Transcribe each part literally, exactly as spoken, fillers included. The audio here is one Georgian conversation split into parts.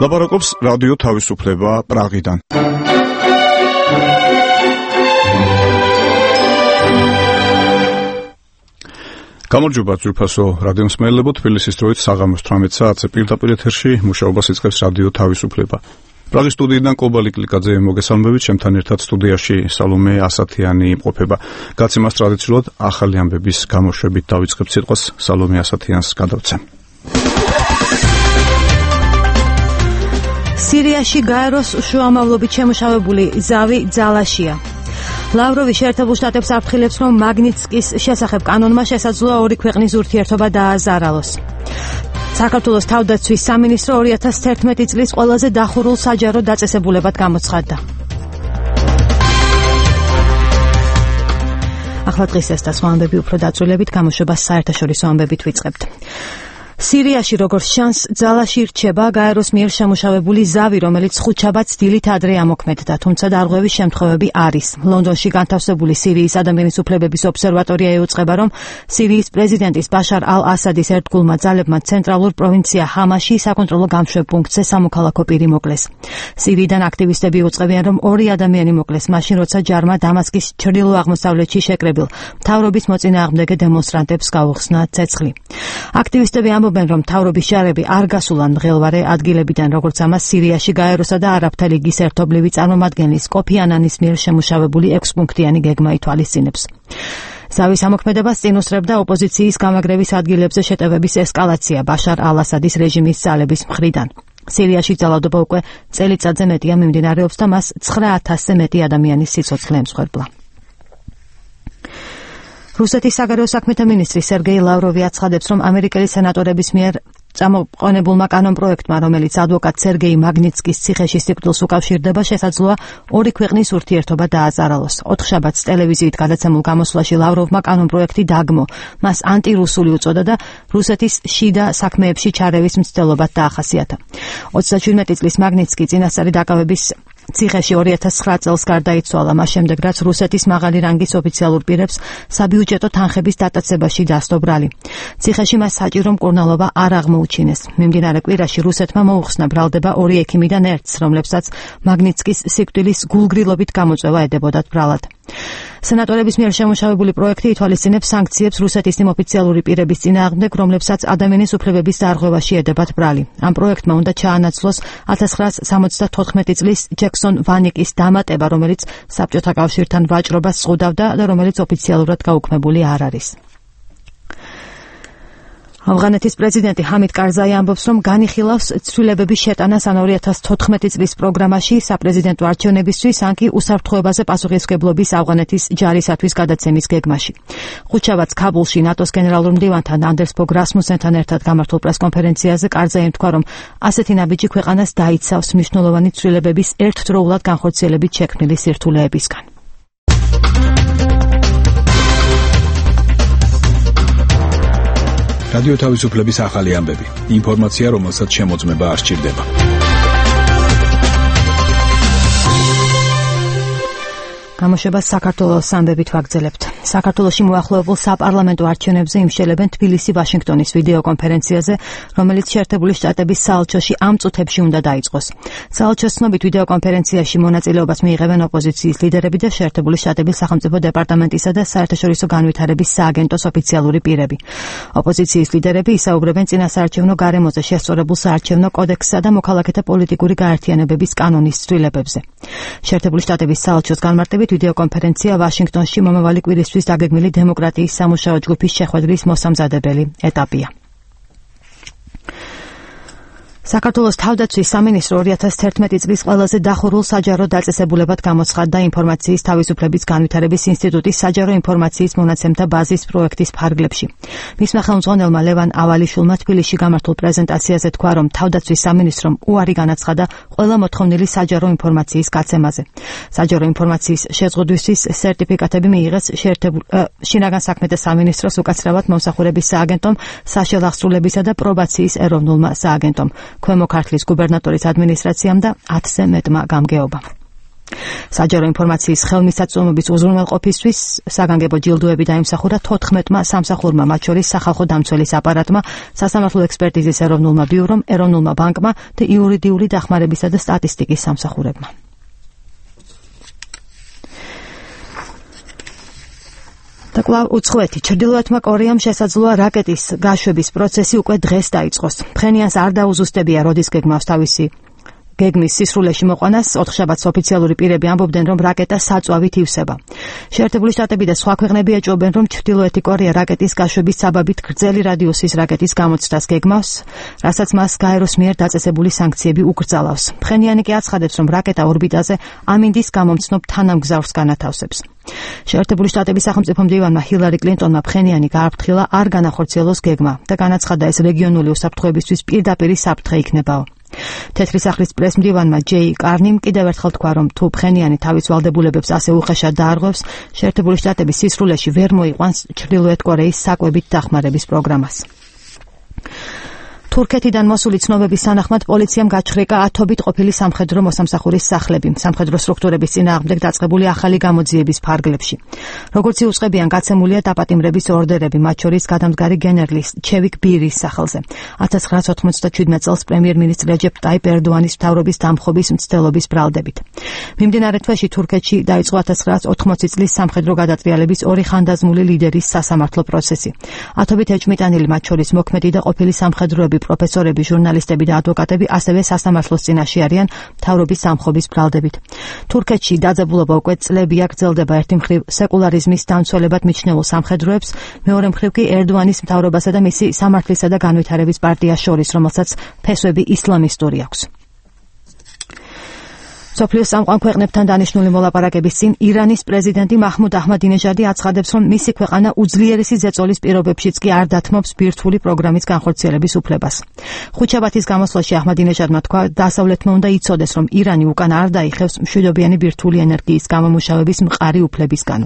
ლაპარაკობს რადიო თავისუფლება პრაღიდან. გამარჯობა ძვირფასო რადიო მსმენელებო, თბილისის დროით საღამოს თვრამეტ საათზე პირდაპირ ეთერში მუშაობას იწყებს რადიო თავისუფლება. პრაღის სტუდიიდან კობალი კლიკაძე მოგესალმებით, ჩემთან ერთად სტუდიაში სალომე ასათიანი იმყოფება. გაცემას ტრადიციულად ახალი ამბების გამოშვებით დავიწყებ სიტყვას, სალომე ასათიანს გადავცემ. სირიაში გაეროს შუამავლობით შემუშავებული ზავი ძალაშია. ლავროვი შეერთებულ შტატებს აფრთხილებს, რომ მაგნიტსკის შესახებ კანონმა შესაძლოა ორი ქვეყნის ურთიერთობა დააზარალოს. საქართველოს თავდაცვის სამინისტრო ორი ათას თერთმეტი წლის ყველაზე დახურულ საჯარო დაწესებულებად გამოცხადდა. ახლა დღის ეს და სხვა ამბები უფრო დაწვრილებით გამოშვებას საერთაშორისო ამბებით ვიწყებთ. სირიაში როგორც შანს ძალაში რჩება გაეროს მიერ შემუშავებული ზავი, რომელიც ხუთშაბათს დილით ადრე ამოქმედდა, თუმცა დარღვევის შემთხვევები არის. ლონდონში განთავსებული სირიის ადამიანის უფლებების ობსერვატორია ეუწყება, რომ სირიის პრეზიდენტის ბაშარ ალ-ასადის ერთგულმა ძალებმა ცენტრალურ პროვინცია ჰამაში საკონტროლო გამშვებ პუნქტზე სამოქალაქო პირი მოკლეს. სირიიდან აქტივისტები უწყებიან, რომ ორი ადამიანი მოკლეს მაშინ, როცა ჯარმა დამასკის ჩრდილო-აღმოსავლეთში შეკრებილ მთავრობის მოწინააღმდეგე დემონსტრანტებს გაუხსნა ცეცხლი. აქტივისტები ამბობენ, რომ მთავრობის ჯარები არ გასულან მღელვარე ადგილებიდან, როგორც ამას სირიაში გაეროსა და არაბთა ლიგის ერთობლივი წარმომადგენლის კოფი ანანის მიერ შემუშავებული ექვსპუნქტიანი გეგმა ითვალისწინებს. ზავის ამოქმედებას წინ უსწრებდა ოპოზიციის გამაგრევის ადგილებზე შეტევების ესკალაცია ბაშარ ალ-ასადის რეჟიმის ძალების მხრიდან. სირიაში ძალადობა უკვე წელიწადზე მეტია მიმდინარეობს და მას ცხრა ათასზე მეტი ადამიანის სიცოცხლე ემსხვერპლა. რუსეთის საგარეო საქმეთა მინისტრი სერგეი ლავროვი აცხადებს, რომ ამერიკელი სენატორების მიერ წამოყენებულმა კანონპროექტმა, რომელიც ადვოკატ სერგეი მაგნიტსკის ციხეში სიკვდილს უკავშირდება, შესაძლოა ორი ქვეყნის ურთიერთობა დააზარალოს. ოთხშაბათს ტელევიზიით გადაცემულ გამოსვლაში ლავროვმა კანონპროექტი დაგმო, მას ანტირუსული უწოდა და რუსეთის შიდა საქმეებში ჩარევის მცდელობად დაახასიათა. ოცდაჩვიდმეტი წლის მაგნიტსკი წინასწარი დაკავების ციხეში ორი ათას ცხრა წელს გარდაიცვალა, მას შემდეგ რაც რუსეთის მაღალი რანგის ოფიციალურ პირებს საბიუჯეტო თანხების დატაცებაში დასდო ბრალი. ციხეში მას საჭირო მკურნალობა არ აღმოუჩინეს. მიმდინარე კვირაში რუსეთმა მოუხსნა ბრალდება ორი ექიმიდან ერთს, რომლებსაც მაგნიტსკის სიკვდილის გულგრილობით გამოწვევა ედებოდათ ბრალად. სენატორების მიერ შემუშავებული პროექტი ითვალისწინებს სანქციებს რუსეთის იმ ოფიციალური პირების წინააღმდეგ, რომლებსაც ადამიანის უფლებების დარღვევაში ედებათ ბრალი. ამ პროექტმა უნდა ჩაანაცვლოს ათას ცხრაასა სამოცდათოთხმეტი წლის ჯექსონ ვანიკის დამატება, რომელიც საბჭოთა კავშირთან ვაჭრობას ზღუდავდა და რომელიც ოფიციალურად გაუქმებული არ არის. ავღანეთის პრეზიდენტი ჰამიდ კარზაი ამბობს, რომ განიხილავს ცვლილებების შეტანას ან ორი ათას თოთხმეტი წლის პროგრამაში საპრეზიდენტო არჩევნებისთვის, ან კი უსაფრთხოებაზე პასუხისმგებლობის ავღანეთის ჯარისათვის გადაცემის გეგმაში. ხუთშაბათს ქაბულში ნატოს გენერალურ მდივანთან ანდერს ბოგ რასმუსენთან ერთად გამართულ პრესკონფერენციაზე კარზაი თქვა, რომ ასეთი ნაბიჯი ქვეყანას დაიცავს მნიშვნელოვანი ცვლილებების ერთდროულად განხორციელებით შექმნილი სირთულეებისგან. რადიო თავისუფლების ახალი ამბები. ინფორმაცია, რომელსაც შემოწმება არ სჭირდება. გამოშვებას საქართველოს ამბებით ვაგრძელებთ. საქართველოში მოახლოებულ საპარლამენტო არჩევნებზე იმშელებენ თბილისი ვაშინგტონის ვიდეო კონფერენციაზე, რომელიც შეერთებული შტატების საელჩოში ამ წუთებში უნდა დაიწყოს. საელჩოს ცნობით ვიდეო კონფერენციაში მონაწილეობას მიიღებენ ოპოზიციის ლიდერები და შეერთებული შტატების სახელმწიფო დეპარტამენტისა და საერთაშორისო განვითარების სააგენტოს ოფიციალური პირები. ოპოზიციის ლიდერები ისაუბრებენ წინასაარჩევნო გარემოზე შესწორებულ საარჩევნო კოდექსსა და მოქალაქეთა პოლიტიკური გაერთიანებების კანონის ცვლილებებზე. შეერთებული შტატების საელჩოს განმარტებით ვიდეო კონფერენცია ვაშინგტონში მომავალი კვირისთვის დაგეგმილი დემოკრატიის სამუშაო ჯგუფის შეხვედრის მოსამზადებელი ეტაპია. საქართველოს თავდაცვის სამინისტრო ორი ათას თერთმეტი წლის ყველაზე დახურულ საჯარო დაწესებულებად გამოცხადდა ინფორმაციის თავისუფლების განვითარების ინსტიტუტის საჯარო ინფორმაციის მონაცემთა ბაზის პროექტის ფარგლებში. მისმა ხელმძღვანელმა ლევან ავალიშვილმა თბილისში გამართულ პრეზენტაციაზე თქვა, რომ თავდაცვის სამინისტრომ უარი განაცხადა ყველა მოთხოვნილი საჯარო ინფორმაციის გაცემაზე. საჯარო ინფორმაციის შეზღუდვისთვის სერტიფიკატები მიიღეს შინაგან საქმეთა სამინისტროს, უკაცრავად მომსახურების სააგენტომ, საშელახსრულებისა და პრობაციის ეროვნულმა სააგენტომ. ქვემო ქართლის გუბერნატორის ადმინისტრაციამ და ათზე მეტმა გამგეობამ. საჯარო ინფორმაციის ხელმისაწვდომობის უზრუნველყოფისთვის საგანგებო ჯილდოები დაიმსახურა თოთხმეტმა სამსახურმა, მათ შორის სახალხო დამცველის აპარატმა, სასამართლო ექსპერტიზის ეროვნულმა ბიურომ, ეროვნულმა ბანკმა და იურიდიული დახმარებისა და სტატისტიკის სამსახურებმა. და კვლავ უცხოეთი ჩრდილოეთმა კორეამ შესაძლოა რაკეტის გაშვების პროცესი უკვე დღეს დაიწყოს. ფხენიანს არ დაუზუსტებია, როდის გეგმავს თავისი გეგმის სისრულეში მოყვანას. ოთხშაბათს ოფიციალური პირები ამბობდნენ, რომ რაკეტა საწვავით ივსება. შეერთებული შტატები და სხვა ქვეყნები ეჭვობენ, რომ ჩრდილოეთი კორეა რაკეტის გაშვების საბაბით გრძელი რადიუსის რაკეტის გამოცდას გეგმავს, რასაც მას გაეროს მიერ დაწესებული სანქციები უკრძალავს. ფხენიანი კი აცხადებს, რომ რაკეტა ორბიტაზე ამინდის გამომცნობ თანამგზავრს განათავსებს. შეერთებული შტატების სახელმწიფო მდივანმა ჰილარი კლინტონმა ფხენიანი გააფრთხილა არ განახორციელოს გეგმა და განაცხადა, ეს რეგიონული უსაფრთხოებისთვის პირდაპირი საფრთხე იქნებაო. თეთრი სახლის პრესმდივანმა ჯეი კარნიმ კიდევ ერთხელ თქვა, რომ თუ ფხენიანი თავის ვალდებულებებს ასე უხეშად დაარღვევს, შეერთებული შტატები სისრულეში ვერ მოიყვანს ჩრდილოეთ კორეის საკვებით დახმარების პროგრამას. თურქეთიდან მოსული ცნობების თანახმად პოლიციამ გაჩხრიკა ათობით ყოფილი სამხედრო მოსამსახურის სახლები სამხედრო სტრუქტურების წინააღმდეგ დაწყებული ახალი გამოძიების ფარგლებში. როგორც იუწყებიან, გაცემულია დაპატიმრების ორდერები, მათ შორის გადამდგარი გენერლის ჩევიკ ბირის სახელზე. ათას ცხრაას ოთხმოცდაჩვიდმეტ წელს პრემიერ-მინისტრ რეჯეპ ტაიპ ერდოანის მთავრობის დამხობის მცდელობის ბრალდებით. მიმდინარე თვეში თურქეთში დაიწყო ათას ცხრაას ოთხმოცი წლის სამხედრო გადატრიალების ორი ხანდაზმული ლიდერის სასამართლო პროცესი. ათობით ეჭვმიტანილი, მათ შორის მოქმედი და ყოფილი სამხედროები, პროფესორები, ჟურნალისტები და ადვოკატები ასევე სასამართლოს წინაშე არიან მთავრობის დამხობის ბრალდებით. თურქეთში დაძაბულობა უკვე წლებია გრძელდება. ერთი მხრივ სეკულარიზმის დამცველებად მიჩნეულ სამხედროებს, მეორე მხრივ კი ერდოანის მთავრობასა და მისი სამართლისა და განვითარების პარტიას შორის, რომელსაც ფესვები ისლამისტური აქვს. სოფლიოს სამყარო ქვეყნებთან დანიშნული მოლაპარაკების წინ ირანის პრეზიდენტი მაჰმუდ აჰმადინეჟადი აცხადებს, რომ მისი ქვეყანა უძლიერესი ზეწოლის პირობებშიც კი არ დათმობს ბირთვული პროგრამის განხორციელების უფლებას. ხუთშაბათის გამოსვლაში აჰმადინეჟადმა თქვა, დასავლეთმა უნდა იცოდეს, რომ ირანი უკან არ დაიხევს მშვიდობიანი ბირთვული ენერგიის გამომუშავების მყარი უფლებისგან.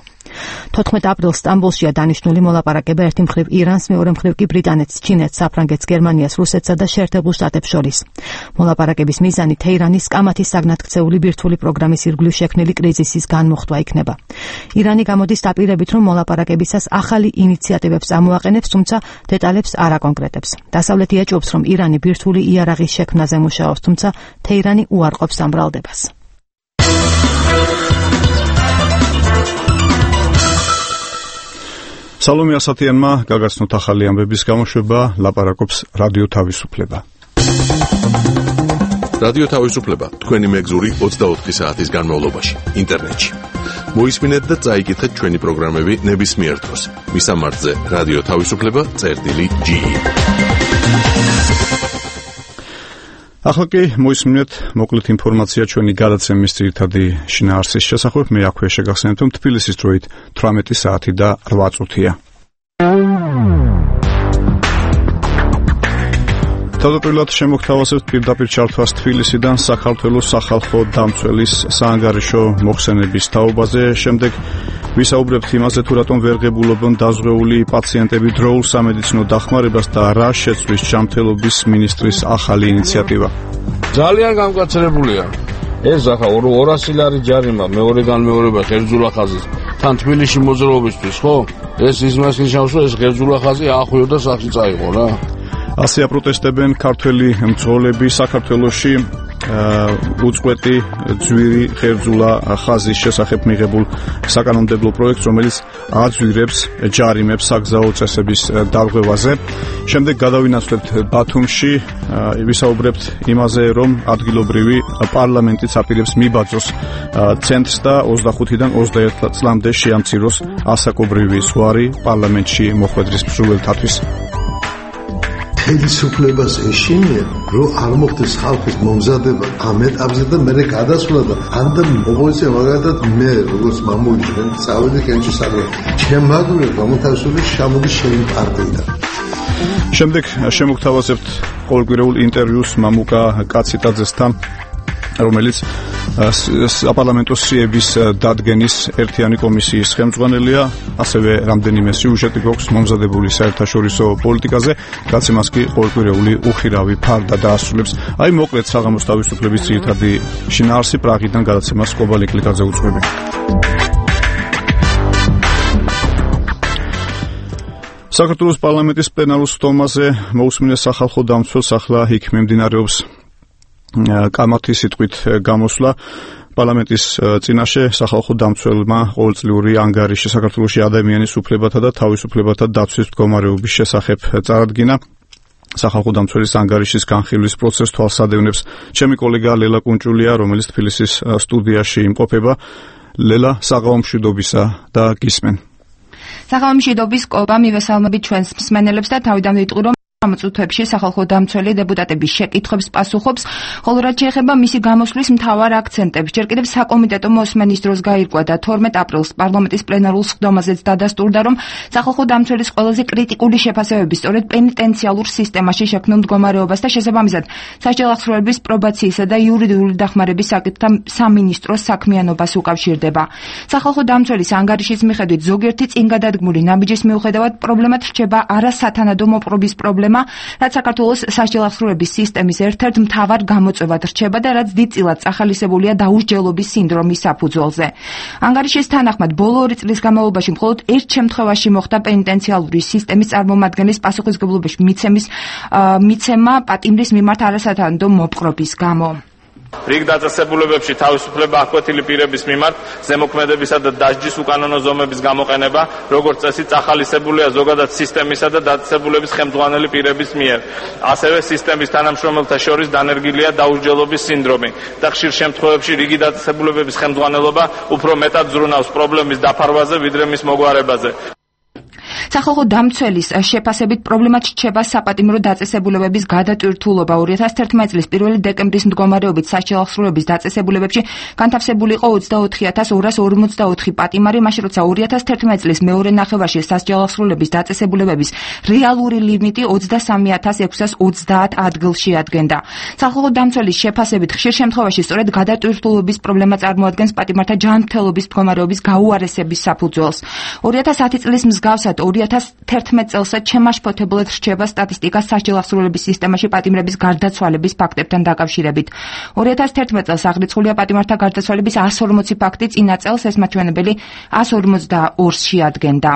თოთხმეტ აპრილს სტამბოლშია დანიშნული მოლაპარაკება ერთი მხრივ ირანს, მეორე მხრივ კი ბრიტანეთს, ჩინეთს, საფრანგეთს, გერმანიას, რუსეთსა და შეერთებულ შტატებს შორის. მოლაპარაკების მიზანი თეირანის კამათის საგნათქცეული ბირთვული პროგრამის ირგვლივ შექმნილი კრიზისის განმოხტვა იქნება. ირანი გამოდის დაპირებით, რომ მოლაპარაკებისას ახალი ინიციატივებს ამოაყენებს, თუმცა დეტალებს არ აკონკრეტებს. დასავლეთი ეჭვობს, რომ ირანი ბირთვული იარაღის შექმნაზე მუშაობს, თუმცა თეირანი უარყოფს ამ ბრალდებას. სალომე ასათიანმა გაგაცნოთ ახალი ამბების გამოშვება, ლაპარაკობს რადიო თავისუფლება. რადიო თავისუფლება თქვენი მეგზური ოცდაოთხი საათის განმავლობაში ინტერნეტში. მოისმინეთ და წაიკითხეთ ჩვენი პროგრამები ნებისმიერ დროს. მისამართზე რადიო თავისუფლება წერტილი ჯი. ახლა კი მოისმინეთ მოკლედ ინფორმაცია ჩვენი გადაცემის ძირითადი შინაარსის შესახებ. მე აქვე შეგახსენებთ, რომ თბილისის დროით თვრამეტი საათი და რვა წუთია. თავდაპირველად შემოგთავაზებთ პირდაპირ ჩართვას თბილისიდან საქართველოს სახალხო დამცველის საანგარიშო მოხსენების თაობაზე. შემდეგ ვისაუბრებთ იმაზე, თუ რატომ ვერ ღებულობენ დაზღვეული პაციენტები დროულ სამედიცინო დახმარებას და რა შეცვლის ჯანმრთელობის მინისტრის ახალი ინიციატივა. ძალიან გამკაცრებულია. ეს ახლა ორასი ლარი ჯარიმა მეორე განმეორება ღერძულა ხაზის თან თბილისში მოძრაობისთვის, ხო? ეს ისმას ნიშნავს, რომ ეს ღერძულა ხაზი ახვიო და სახში წაიღო რა. ასე აპროტესტებენ ქართველი მძღოლები საქართველოში უწყვეტი ძვირი ღერძულა ხაზის შესახებ მიღებულ საკანონმდებლო პროექტს, რომელიც აძვირებს ჯარიმებს საგზაო წესების დარღვევაზე. შემდეგ გადავინაცვლებთ ბათუმში, ვისაუბრებთ იმაზე, რომ ადგილობრივი პარლამენტიც აპირებს მიბაძოს ცენტრს და ოცდახუთიდან ოცდაერთ წლამდე შეამციროს ასაკობრივი ზღვარი პარლამენტში მოხვედრის მსურველთათვის. ხელისუფლებას ეშინია, რომ არ მოხდეს ხალხის მომზადება ამ ეტაპზე და მერე გადასვლა და ანდა მოგოიცე მაგალითად მე როგორც მამული ჩვენ წავედი კენჭი საქმე. ჩემ მაგურე გამოთავსული შემოდი შენი პარტიიდან. შემდეგ შემოგთავაზებთ ყოველკვირეულ ინტერვიუს მამუკა კაციტაძესთან, რომელიც საპარლამენტო სიების დადგენის ერთიანი კომისიის ხელმძღვანელია, ასევე რამდენიმე სიუჟეტი გვაქვს მომზადებული საერთაშორისო პოლიტიკაზე, გაცემას კი ყოველკვირეული უხირავი ფარდა დაასრულებს. აი მოკლედ საღამოს თავისუფლების ძირითადი შინაარსი პრაღიდან გადაცემას კობალი კლიკაძე უძღვები. საქართველოს პარლამენტის პლენარულ სტომაზე მოусმინეს სახალხო დამცველს, ახლა იქ მიმდინარეობს კამათის სიტყვით გამოსვლა. პარლამენტის წინაშე სახალხო დამცველმა ყოველწლიური ანგარიში საქართველოში ადამიანის უფლებათა და თავისუფლებათა დაცვის მდგომარეობის შესახებ წარადგინა. სახალხო დამცველის ანგარიშის განხილვის პროცესს თვალსადევნებს ჩემი კოლეგა ლელა კუნჭულია, რომელიც თბილისის სტუდიაში იმყოფება. ლელა, საღამო მშვიდობისა და გისმენ. საღამო მშვიდობის კობა, მივესალმებით ჩვენს მსმენელებს და თავიდან ვიტყვი, რომ ამ წუთებში სახალხო დამცველი დეპუტატების შეკითხვებს პასუხობს, ხოლო რაც შეეხება მისი გამოსვლის მთავარ აქცენტებს, ჯერ კიდევ საკომიტეტო მოსმენის დროს გაირკვა და თორმეტ აპრილს პარლამენტის პლენარულ სხდომაზეც დადასტურდა, რომ სახალხო დამცველის ყველაზე კრიტიკული შეფასებები სწორედ პენიტენციალურ სისტემაში შექმნილ მდგომარეობას და შესაბამისად სასჯელ აღსრულების პრობაციისა და იურიდიული დახმარების საკითხთა სამინისტროს საქმიანობას უკავშირდება. სახალხო დამცველის ანგარიშის მიხედვით ზოგიერთი წინგადადგმული ნაბიჯის მიუხედავად პრობლემად რჩება არასათანადო მოპყრობის პრობლემა, რაც საქართველოს სასჯელ აღსრულების სისტემის ერთ-ერთ მთავარ გამოწვევად რჩება და რაც დიდწილად წახალისებულია დაუსჯელობის სინდრომის საფუძველზე. ანგარიშის თანახმად, ბოლო ორი წლის განმავლობაში მხოლოდ ერთ შემთხვევაში მოხდა პენიტენციალური სისტემის წარმომადგენლის პასუხისმგებლობის მიცემის მიცემა პატიმრის მიმართ არასათანადო მოპყრობის გამო. რიგ დაწესებულებებში თავისუფლება აღკვეთილი პირების მიმართ ზემოქმედებისა და დასჯის უკანონო ზომების გამოყენება, როგორც წესი, წახალისებულია ზოგადად სისტემისა და დაწესებულების ხელმძღვანელი პირების მიერ. ასევე სისტემის თანამშრომელთა შორის დანერგილია დაუსჯელობის სინდრომი და ხშირ შემთხვევებში რიგი დაწესებულებების ხელმძღვანელობა უფრო მეტად ზრუნავს პრობლემის დაფარვაზე, ვიდრე მის მოგვარებაზე. სახალხო დამცველის შეფასებით პრობლემად რჩება საპატიმრო დაწესებულებების გადატვირთულობა. ორი ათას თერთმეტი წლის პირველი დეკემბრის მდგომარეობით სასჯელ აღსრულების დაწესებულებებში განთავსებული იყო ოცდაოთხი ათას ორას ორმოცდაოთხი პატიმარი, მაშინ როცა ორი ათას თერთმეტი წლის მეორე ნახევარში სასჯელ აღსრულების დაწესებულებების რეალური ლიმიტი ოცდასამი ათას ექვსას ოცდაათ ადგილში ადგენდა. სახალხო დამცველის შეფასებით ხშირ შემთხვევაში სწორედ გადატვირთულობის პრობლემა წარმოადგენს პატიმართა ჯანმრთელობის მდგომარეობის გაუარესების საფუძველს. ორი ათას ათი წლის მსგავსად ორი ათას თერთმეტი წელსაც შემაშფოთებლად რჩება სტატისტიკა სასჯელ აღსრულების სისტემაში პატიმრების გარდაცვალების ფაქტებთან დაკავშირებით. ორი ათას თერთმეტი წელს აღრიცხულია პატიმართა გარდაცვალების εκατს ორმოცი ფაქტი, წინა წელს ეს მაჩვენებელი εκατს ორმოცდაორში ადგენდა.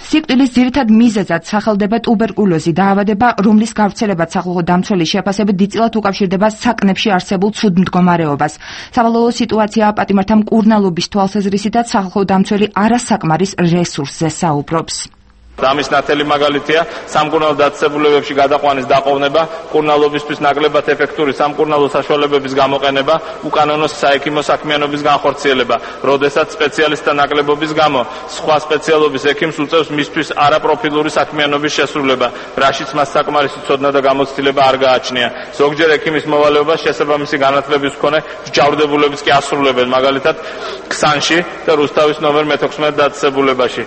სიკვდილის ძირითად მიზეზად სახელდება ტუბერკულოზი, დაავადება, რომლის გავრცელებაც სახალხო დამცველის შეფასებით დიდწილად უკავშირდება საკნებში არსებულ ცუდ მდგომარეობას. სავალალო სიტუაციაა პატიმართა მკურნალობის თვალსაზრისითაც სახალხო დამცველი არასაკმარის რესურსზე საუბრობს. ამის ნათელი მაგალითია სამკურნალო დაწესებულებებში გადაყვანის დაყოვნება, მკურნალობისთვის ნაკლებად ეფექტური სამკურნალო საშუალებების გამოყენება, უკანონო საექიმო საქმიანობის განხორციელება, როდესაც სპეციალისტთა ნაკლებობის გამო სხვა სპეციალობის ექიმს უწევს მისთვის არაპროფილური საქმიანობის შესრულება, რაშიც მას საკმარისი ცოდნა და გამოცდილება არ გააჩნია. ზოგჯერ ექიმის მოვალეობას შესაბამისი განათლების მქონე მსჯავრდებულებიც კი ასრულებენ, მაგალითად ქსანში და რუსთავის ნომერ მეთექვსმეტ დაწესებულებაში.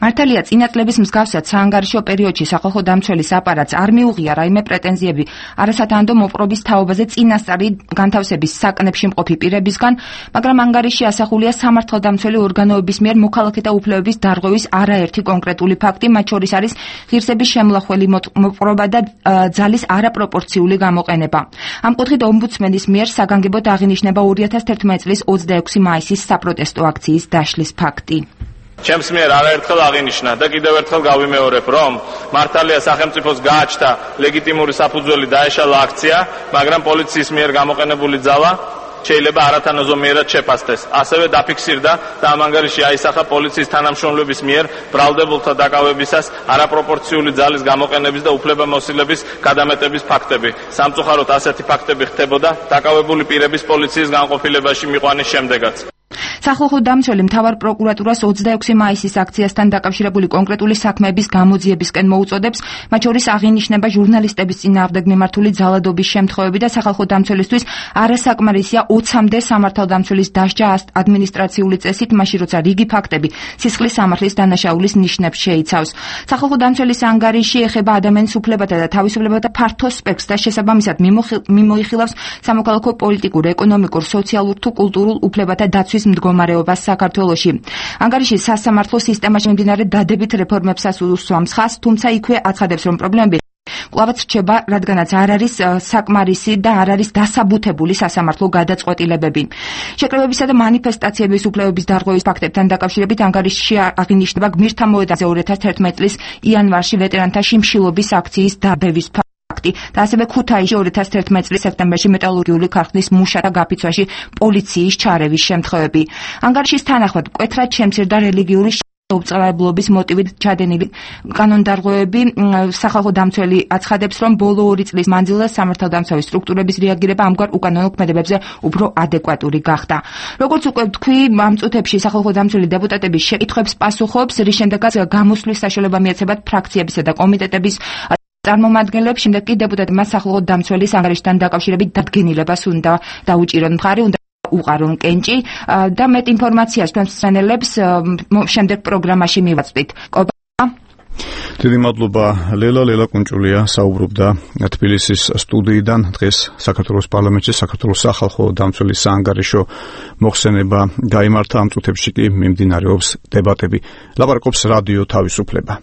მართალია, წინა წლების მსგავსად საანგარიშო პერიოდში სახალხო დამცველის აპარატს არ მიუღია რაიმე პრეტენზიები არასათანადო მოპყრობის თაობაზე წინასწარი განთავსების საკნებში მყოფი პირებისგან, მაგრამ ანგარიში ასახულია სამართალდამცველი ორგანოების მიერ მოქალაქეთა უფლებების დარღვევის არაერთი კონკრეტული ფაქტი, მათ შორის არის ღირსების შემლახველი მოპყრობა და ძალის არაპროპორციული გამოყენება. ამ კუთხით ომბუდსმენის მიერ საგანგებოდ აღინიშნება ორი ათას თერთმეტი წლის ოცდაექვსი მაისის საპროტესტო აქციის დაშლის ფაქტი. ჩემს მიერ არაერთხელ აღინიშნა და კიდევ ერთხელ გავიმეორებ, რომ მართალია სახელმწიფოს გააჩნდა ლეგიტიმური საფუძველი დაეშალა აქცია, მაგრამ პოლიციის მიერ გამოყენებული ძალა შეიძლება არათანაზომიერად შეფასდეს. ასევე დაფიქსირდა და ამ ანგარიში აისახა პოლიციის თანამშრომლების მიერ ბრალდებულთა დაკავებისას არაპროპორციული ძალის გამოყენების და უფლებამოსილების გადამეტების ფაქტები. სამწუხაროდ ასეთი ფაქტები ხდებოდა დაკავებული პირების პოლიციის განყოფილებაში მიყვანის შემდეგაც. სახალხო დამცველი მთავარ პროკურატურას ოცდაექვსი მაისის აქციასთან დაკავშირებული კონკრეტული საქმეების გამოძიებისკენ მოუწოდებს, მათ შორის აღინიშნება ჟურნალისტების წინააღმდეგ მიმართული ძალადობის შემთხვევები და სახალხო დამცველისთვის არასაკმარისია ოცამდე სამართალდამცველის დასჯა ადმინისტრაციული წესით, მაშინ როცა რიგი ფაქტები სისხლის სამართლის დანაშაულის ნიშნებს შეიცავს. სახალხო დამცველის ანგარიში ეხება ადამიანის უფლებათა და თავისუფლებათა ფართო სპექტრს და შესაბამისად მიმოიხილავს სამოქალაქო პოლიტიკურ, ეკონომიკურ, სოციალურ თუ კულტურულ უფლებათა დაცვის მდგომარეობას საქართველოში. ანგარიში სასამართლო სისტემაში მიმდინარე დადებით რეფორმებსაც უსვამს ხაზს, თუმცა იქვე აცხადებს, რომ პრობლემები კვლავაც რჩება, რადგანაც არ არის საკმარისი და არ არის დასაბუთებული სასამართლო გადაწყვეტილებები. შეკრებებისა და მანიფესტაციების უფლებების დარღვევის ფაქტებთან დაკავშირებით ანგარიშში აღინიშნება გმირთა მოედანზე ორი ათას თერთმეტი წლის იანვარში ვეტერანთა შიმშილობის აქციის დაბევის ფაქტი და ასევე ქუთაისში ორი ათას თერთმეტი წლის სექტემბერში მეტალურგიული ქარხნის მუშათა გაფიცვაში პოლიციის ჩარევის შემთხვევები. ანგარიშის თანახმად მკვეთრად შემცირდა რელიგიური უბწრალებლობის მოტივით ჩადენილი კანონდარღვევები. სახალხო დამცველი აცხადებს, რომ ბოლო ორი წლის მანძილზე სამართალდამცავი სტრუქტურების რეაგირება ამგვარ უკანონო ქმედებებზე უფრო ადეკვატური გახდა. როგორც უკვე ვთქვი, ამ წუთებში სახალხო დამცველი დეპუტატების შეკითხვებს პასუხობს, რის შემდეგაც გამოსვლის საშუალება მიეცემათ ფრაქციებისა და კომიტეტების წარმომადგენლებს. შემდეგ კი დეპუტატებმა სახალხო დამცველის ანგარიშთან დაკავშირებით დადგენილებას უნდა დაუჭირონ მხარი, უნდა უყარონ კენჭი და მეტ ინფორმაციას თქვენს მშენელებს შემდეგ პროგრამაში მივაწვით. დიდი მადლობა ლელა ლელა კუნჭულია საუბრობდა თბილისის სტუდიიდან. დღეს საქართველოს პარლამენტში საქართველოს სახალხო დამცველის საანგარიშო მოხსენება გაიმართა. ამ წუთებში კი მიმდინარეობს დებატები. ლაპარაკობს რადიო თავისუფლება.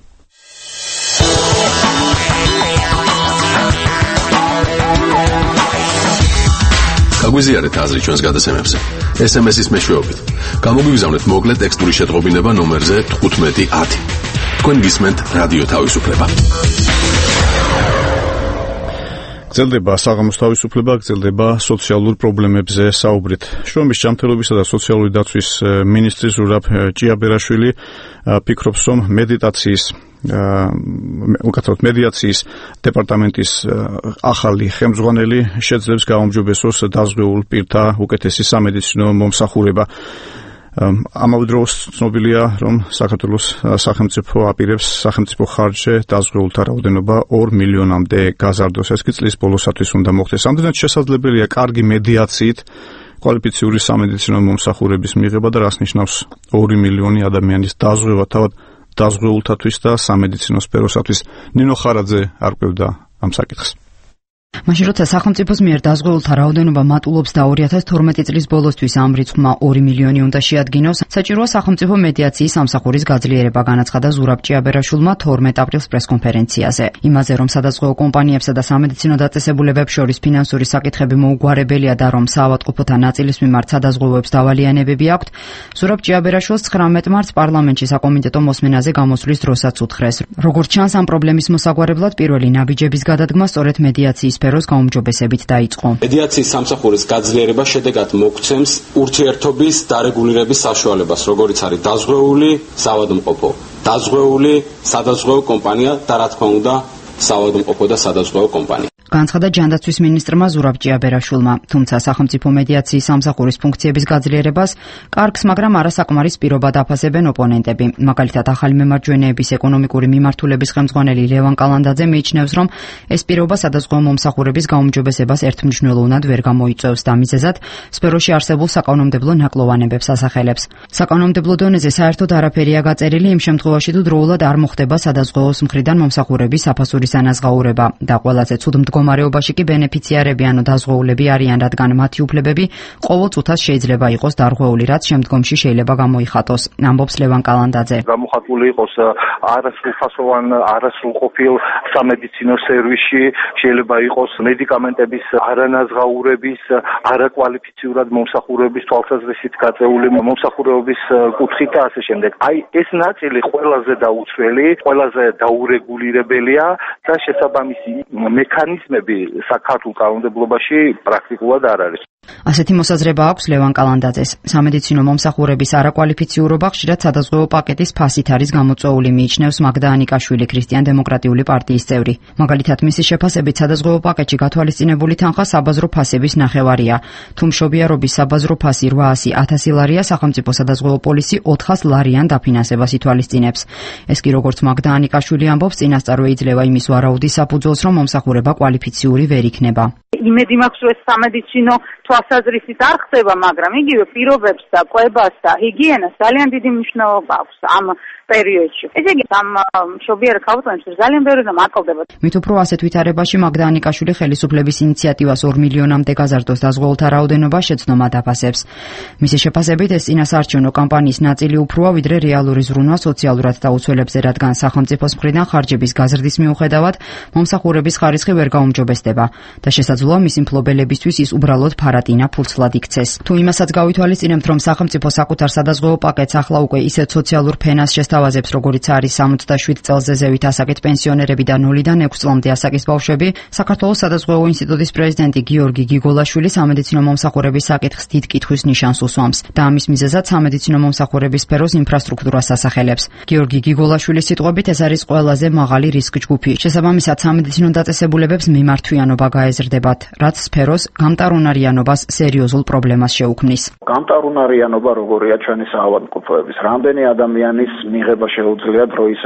გაგვიზიარეთ აზრი ჩვენს გადაცემებზე. ეს ემ ეს-ის მეშვეობით. გამოგვიგზავნეთ მოკლე ტექსტური შეტყობინება ნომერზე თხუთმეტი ათი. თქვენ გისმენთ რადიო თავისუფლება. გრძელდება საღამოს თავისუფლება, გრძელდება სოციალურ პრობლემებზე საუბრით. შრომის ჯანმრთელობისა და სოციალური დაცვის მინისტრი ზურაბ ჭიაბერაშვილი ფიქრობს, რომ მედიტაციის უკაცრავად მედიაციის დეპარტამენტის ახალი ხელმძღვანელი შეძლებს გაუმჯობესოს დაზღვეულ პირთა უკეთესი სამედიცინო მომსახურება. ამავე დროს ცნობილია, რომ საქართველოს სახელმწიფო აპირებს სახელმწიფო ხარჯზე დაზღვეულთა რაოდენობა ორ მილიონამდე გაზარდოს. ეს კი წლის ბოლოსათვის უნდა მოხდეს. ამდენად შესაძლებელია კარგი მედიაციით კვალიფიციური სამედიცინო მომსახურების მიღება და რას ნიშნავს ორი მილიონი ადამიანის დაზღვევა თავად დაზღვეულთათვის და სამედიცინო სფეროსათვის. ნინო ხარაძე არ ყვევდა ამ საკითხს. მაშინ როცა სახელმწიფოს მიერ დაზღვეულთა რაოდენობა მატულობს და ორი ათას თორმეტი წლის ბოლოსთვის ამ რიცხვმა ორი მილიონი უნდა შეადგინოს, საჭიროა სახელმწიფო მედიაციის სამსახურის გაძლიერება, განაცხადა ზურაბ ჭიაბერაშვილმა თორმეტ აპრილს პრესკონფერენციაზე. იმაზე, რომ სადაზღვეო კომპანიებსა და სამედიცინო დაწესებულებებს შორის ფინანსური საკითხები მოუგვარებელია და რომ საავადმყოფოთა ნაწილის მიმართ სადაზღვევოებს დავალიანებები აქვთ, ზურაბ ჭიაბერაშვილს ცხრამეტ მარტს პარლამენტში საკომიტეტო მოსმენაზე გამოსვლის დროსაც უთხრეს. როგორც ჩანს, ამ პრობლემის მოსაგვარებლად პირველი ნაბიჯების გადადგმა სწორედ მედიაციის სფეროს გაუმჯობესებით დაიწყო. მედიაციის სამსახურის გაძლიერება შედეგად მოგცემს ურთიერთობის დარეგულირების საშუალებას, როგორიც არის დაზღვეული საავადმყოფო, დაზღვეული სადაზღვეო კომპანია და რა თქმა უნდა საავადმყოფო და სადაზღვეო კომპანია. განცხადა ჯანდაცვის მინისტრმა ზურაბ ჭიაბერაშვილმა, თუმცა სახელმწიფო მედიაციის სამსახურის ფუნქციების გაძლიერებას კარგს, მაგრამ არასაკმარის პირობად აფასებენ ოპონენტები. მაგალითად, ახალი მემარჯვენეების ეკონომიკური მიმართულების ხელმძღვანელი ლევან კალანდაძე მიიჩნევს, რომ ეს პირობა სადაზღვეო მომსახურების გაუმჯობესებას ერთმნიშვნელოვნად ვერ გამოიწვევს და მიზეზად სფეროში არსებულ საკანონმდებლო ნაკლოვანებებს ასახელებს. საკანონმდებლო დონეზე საერთოდ არაფერია გაწერილი იმ შემთხვევაში, თუ დროულად არ მოხდება სადაზღვეოს მხრიდან მომსახურების საფასურის ანაზღაურება და ყველაზე ცუდ მდგომარეობაში კი ბენეფიციარები ანუ დაზღვეულები არიან, რადგან მათი უფლებები ყოველ წუთას შეიძლება იყოს დარღვეული, რაც შემდგომში შეიძლება გამოიხატოს. ამბობს ლევან კალანდაძე. გამოხატული იყოს არასრულფასოვან, არასრულყოფილ სამედიცინო სერვისში, შეიძლება იყოს მედიკამენტების არანაზღაურების, არაკვალიფიციურად მომსახურების თვალსაზრისით გაწეული მომსახურების კუთხით და ასე შემდეგ. აი ეს ნაწილი ყველაზე დაუცველი, ყველაზე დაურეგულირებელია და შესაბამისი მექანიზმები საქართველოს კანონმდებლობაში პრაქტიკულად არ არის. ასეთი მოსაზრება აქვს ლევან კალანდაძეს. სამედიცინო მომსახურების არაკვალიფიციურობა ხშირად სადაზღვევო პაკეტის ფასით არის გამოწვეული, მიიჩნევს მაგდა ანიკაშვილი, ქრისტიან-დემოკრატიული პარტიის წევრი. მაგალითად, მისი შეფასებით სადაზღვევო პაკეტში გათვალისწინებული თანხა საბაზრო ფასების ნახევარია. თუ მშობიარობის საბაზრო ფასი რვაასი ათასი ლარია, სახელმწიფო სადაზღვევო პოლისი ოთხას ლარიან დაფინანსებას ითვალისწინებს. ეს კი როგორც მაგდა ანიკაშვილი ამბობს, წინასწარ იძლევა იმის ვარაუდის საფუძველს, რომ მომსახურება კვალიფიციური ვერ იქნება. იმედი მაქვს, რომ ეს სამედიცინო თვალსაზრისით არ ხდება, მაგრამ იგივე პირობებს და კვებას და ჰიგიენას ძალიან დიდი მნიშვნელობა აქვს ამ პერიოდში. ესე იგი, ამ მშობიარ ქალბატონებს ძალიან ბევრი და მაკლდება. მით უფრო ასეთ ვითარებაში მაგდა ანიკაშვილი ხელისუფლების ინიციატივას ორ მილიონამდე გაზარდოს დაზღვეულთა რაოდენობა შეცდომა დაფასებს. მისი შეფასებით, ეს წინასაარჩევნო კამპანიის ნაწილი უფროა, ვიდრე რეალური ზრუნვა სოციალურად დაუცველებზე, რადგან სახელმწიფოს მხრიდან ხარჯების გაზრდის მიუხედავად მომსახურების ხარისხი ვერ გაუმჯობესდება და შესაძლოა მისი მფლობელებისთვის ის უბრალოდ ფარატინა ფულცლად იქცეს. თუ იმასაც გავითვალისწინებთ, რომ სახელმწიფო საკუთარ სადაზღვევო პაკეტს ახლა უკვე ისეთ სოციალურ ფენას შესთავაზებს, როგორიც არის სამოცდაშვიდ წელზე ზევით ასაკით პენსიონერები და ნულიდან ექვს წლამდე ასაკის ბავშვები, საქართველოს სადაზღვევო ინსტიტუტის პრეზიდენტი გიორგი გიგოლაშვილი სამედიცინო მომსახურების საკითხს დიდ კითხვის ნიშანს უსვამს და ამის მიზეზად სამედიცინო მომსახურების სფეროს ინფრასტრუქტურას ასახელებს. გიორგი გიგოლაშვილის სიტყვებით, ეს არის ყველაზე მაღალი რისკ ჯგუფი. შესაბამისად, სამედიცინო დაწესებულებებს მიმართვიანობა გაეზრდებათ, რაც სფეროს გამტარუნარიანობას სერიოზულ პრობლემას შეუქმნის. გამტარუნარიანობა როგორია ჩვენი საავადმყოფოების, რამდენი ადამიანის მიღება შეუძლია დროის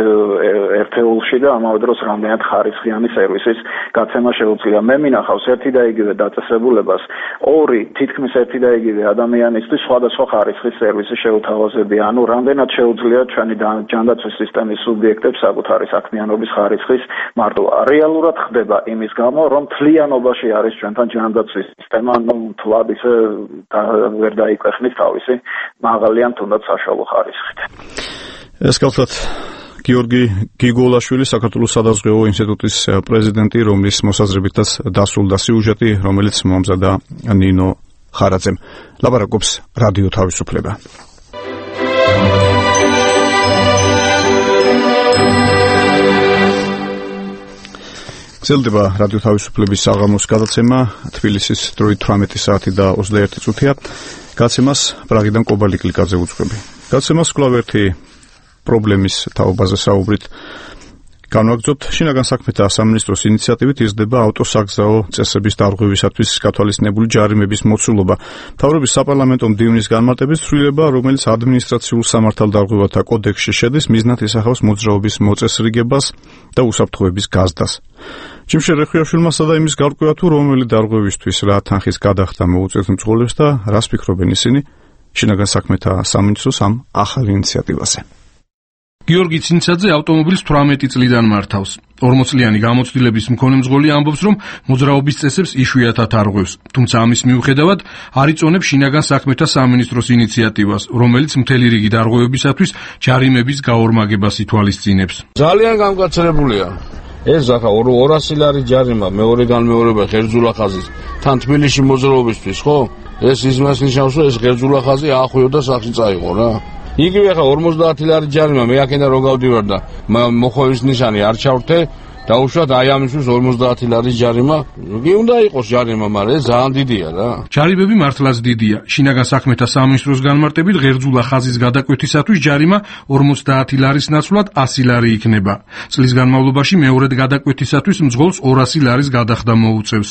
ერთეულში და ამავე დროს რამდენად ხარისხიანი სერვისის გაცემა შეუძლია. მე მინახავს ერთი და იგივე დაწესებულებას ორი თითქმის ერთი და იგივე ადამიანისთვის სხვადასხვა ხარისხის სერვისი შეუთავაზებია. ანუ რამდენად შეუძლია ჩვენი ჯანდაცვის სისტემის სუბიექტებს საკუთარი საქმიანობის ხარისხის მარტოვა. რეალურად ხდება იმის გამო, რომ თლიანობაში არის ჩვენთან ჯანდაცვის სისტემა, ну, თვად ისე ვერ დაიკვეხნის თავისი მაღალი ან თუნდაც საშუალო ხარისხით. ეს კალთად გიორგი გიგოლაშვილი, საქართველოს სადაზღვევო ინსტიტუტის პრეზიდენტი, რომლის მოსაზრებითაც დასრულდა სიუჟეტი, რომელიც მომზადა ნინო ხარაძემ. ლაპარაკობს რადიო თავისუფლება. გრძელდება რადიო თავისუფლების საღამოს გადაცემა, თბილისის დროით თვრამეტი საათი და ოცდაერთი წუთია. გადაცემას პრაღიდან კობალი კლიკაძე უძღვები. გადაცემას კვლავ ერთი პრობლემის თაობაზე საუბრით განვაგრძობთ. შინაგან საქმეთა სამინისტროს ინიციატივით იზრდება ავტოსაგზაო წესების დარღვევისათვის გათვალისწინებული ჯარიმების მოცულობა. მთავრობის საპარლამენტო მდივნის განმარტებით ცვლილება, რომელიც ადმინისტრაციულ სამართალდარღვევათა კოდექსში შედის, მიზნად ისახავს მოძრაობის მოწესრიგებას და უსაფრთხოების გაზრდას. ჯიმშე რეხვიაშვილმასა და იმის გარკვევა თუ რომელი დარღვევისთვის რა თანხის გადახდა მოუწევთ მძღოლებს და რას ფიქრობენ ისინი შინაგან საქმეთა სამინისტროს ამ ახალ ინიციატივაზე. გიორგი ცინცაძე ავტომობილს თვრამეტი წლიდან მართავს. ორმოცლიანი გამოცდილების მქონე მძღოლი ამბობს, რომ მოძრაობის წესებს იშვიათად არღვევს, თუმცა ამის მიუხედავად არ იწონებს შინაგან საქმეთა სამინისტროს ინიციატივას, რომელიც მთელი რიგი დარღვევებისათვის ჯარიმების გაორმაგებას ითვალისწინებს. ძალიან გამკაცრებულია. ეს ახლა ორასი ლარი ჯარიმა მეორედან მეორება ღერძულა ხაზის თან თბილისში მოძრაობისთვის, ხო? ეს იმას ნიშნავს, რომ ეს ღერძულა ხაზი ახვიო და სახში წაიღო რა. იგივე ახლა ორმოცდაათი ლარი ჯარიმა მე აქედან რო გავდივარ და მოხოვის ნიშანი არ ჩავრთე, დაუშვათ აი ამისთვის ორმოცდაათი ლარი ჯარიმა. კი უნდა იყოს ჯარიმა, მაგრამ ეს ძალიან დიდია რა. ჯარიმები მართლაც დიდია. შინაგან საქმეთა სამინისტროს განმარტებით ღერძულა ხაზის გადაკვეთისათვის ჯარიმა ორმოცდაათი ლარის ნაცვლად ასი ლარი იქნება. წლის განმავლობაში მეორედ გადაკვეთისათვის მძღოლს ორასი ლარის გადახდა მოუწევს.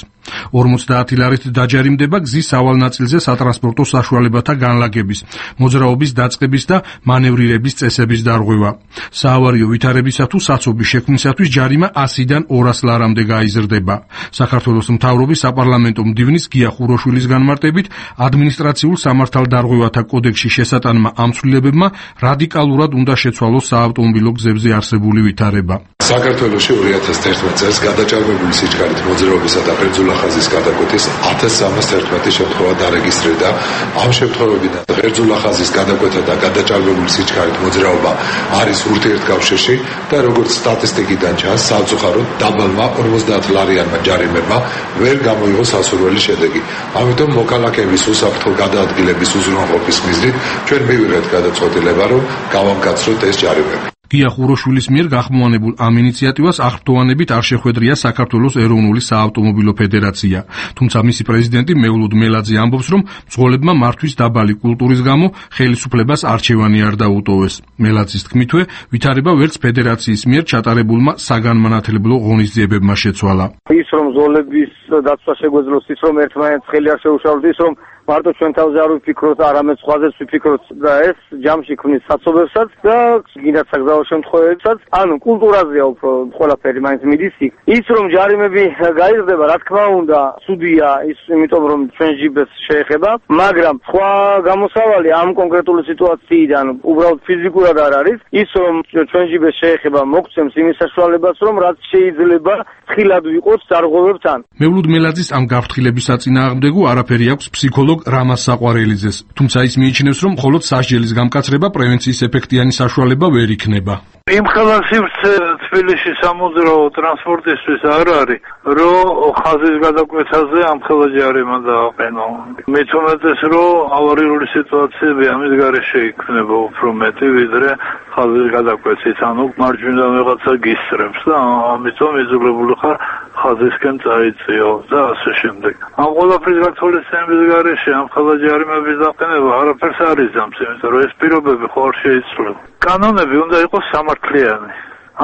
ორმოცდაათი ლარით დაჯარიმდება გზის სავალ ნაწილზე სატრანსპორტო საშუალებათა განლაგების, მოძრაობის დაწყების და მანევრირების წესების დარღვევა. საავარიო ვითარებისა თუ საცობის შექმნისათვის ჯარიმა ასიდან ორას ლარამდე გაიზრდება. საქართველოს მთავრობის საპარლამენტო მდივნის გია ხუროშვილის განმარტებით, ადმინისტრაციულ სამართალდარღვევათა კოდექსში შესატანმა ამ ცვლილებებმა რადიკალურად უნდა შეცვალოს საავტომობილო გზებზე არსებული ვითარება. საქართველოში ორი ათას ერთმეტ წელს გადაჭარბებული სიჩქარით მოძრაობისა და ღერძულა ხაზის გადაკვეთის ათას სამას ერთმეტი შემთხვევა დარეგისტრირდა. ამ შემთხვევებიდან ღერძულა ხაზის გადაკვეთა და გადაჭარბებული სიჩქარით მოძრაობა არის ურთიერთკავშირში და როგორც სტატისტიკიდან ჩანს, სამწუხაროდ დაბალმა ორმოცდაათ ლარიანმა ჯარიმებმა ვერ გამოიღო სასურველი შედეგი. ამიტომ მოქალაქეების უსაფრთხო გადაადგილების უზრუნველყოფის მიზნით ჩვენ მივიღეთ გადაწყვეტილება, რომ გავამკაცროთ ეს ჯარიმები. გია ხუროშვილის მიერ გახმოვანებულ ამ ინიციატივას აღფრთოვანებით არ შეხვედრია საქართველოს ეროვნული საავტომობილო ფედერაცია. თუმცა მისი პრეზიდენტი მევლუდ მელაძე ამბობს, რომ მძღოლებმა მართვის დაბალი კულტურის გამო ხელისუფლებას არჩევანი არ დაუტოვეს. მელაძის თქმითვე, ვითარება ვერც ფედერაციის მიერ ჩატარებულმა საგანმანათლებლო ღონისძიებებმა შეცვალა. ის რომ ზოლების დაცვა შეგვეძლოს, ის რომ ერთმანეთს ხელი არ შეუშალოთ, ის რომ მარტო ჩვენ თავზე არ ვიფიქროთ, არამედ სხვაზეც ვიფიქროთ და ეს ჯამში ქმნის საცობებსაც და გინდათ საგზაო შემთხვევებსაც. ანუ კულტურაზეა უფრო ყველაფერი მაინც მიდის იქ. ის რომ ჯარიმები გაიზრდება, რა თქმა უნდა, ცუდია ის, იმიტომ რომ ჩვენ ჯიბეს შეეხება, მაგრამ სხვა გამოსავალი ამ კონკრეტული სიტუაციიდან უბრალოდ ფიზიკურად არ არის. ის რომ ჩვენ ჯიბეს შეეხება, მოგცემს იმის საშუალებას, რომ რაც შეიძლება თხილად ვიყოთ ძარღვევებთან. მევლუდ მელაძის ამ გაფრთხილების საწინააღმდეგო არაფერი აქვს ფსიქოლოგ რამაზ საყვარელიძეს. თუმცა ის მიიჩნევს, რომ მხოლოდ სასჯელის გამკაცრება პრევენციის ეფექტიანი საშუალება ვერ იქნება. იმ ხელასივს თბილისში სამოძრაო ტრანსპორტისთვის არ არის, რომ ხაზის გადაკვეთაზე ამ ხელაჯარიმა დააყენო. მით უმეტეს, რომ ავარიული სიტუაციები ამის გარეშე იქნება უფრო მეტი, ვიდრე ხაზის გადაკვეთით. ანუ მარჯვნიდან ვიღაცა გისწრებს და ამიტომ იძულებული ხარ ხაზისკენ წაიწიო და ასე შემდეგ. ამ ყველაფრის გათვალისწინების გარეშე ამ ხელაჯარიმების დაყენება არაფერს არ იზამს, იმიტომ რომ ეს პირობები ხო არ შეიცვლება. კანონები უნდა იყოს სამართლიანი.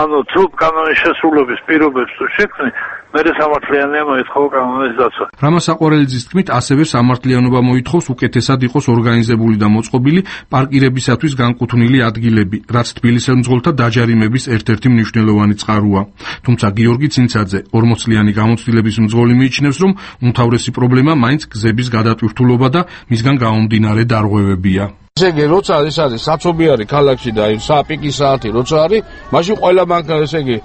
ანუ თუ კანონის შესრულების პირობებს თუ შექმნი, მერე სამართლიანია მოითხოვ კანონის დაცვა. რამაზ საყვარელიძის თქმით, ასევე სამართლიანობა მოითხოვს უკეთესად იყოს ორგანიზებული და მოწყობილი პარკირებისათვის განკუთვნილი ადგილები, რაც თბილისელ მძღოლთა დაჯარიმების ერთ-ერთი მნიშვნელოვანი წყაროა. თუმცა გიორგი ცინცაძე, ორმოცლიანი გამოცდილების მძღოლი მიიჩნევს, რომ უმთავრესი პრობლემა მაინც გზების გადატვირთულობა და მისგან გამომდინარე დარღვევებია. ესე იგი, როცა ეს არის საცობიარი ქალაქში და იმ საპიკი საათი როცა არის, მაშინ ყველა მანქანა, ესე იგი,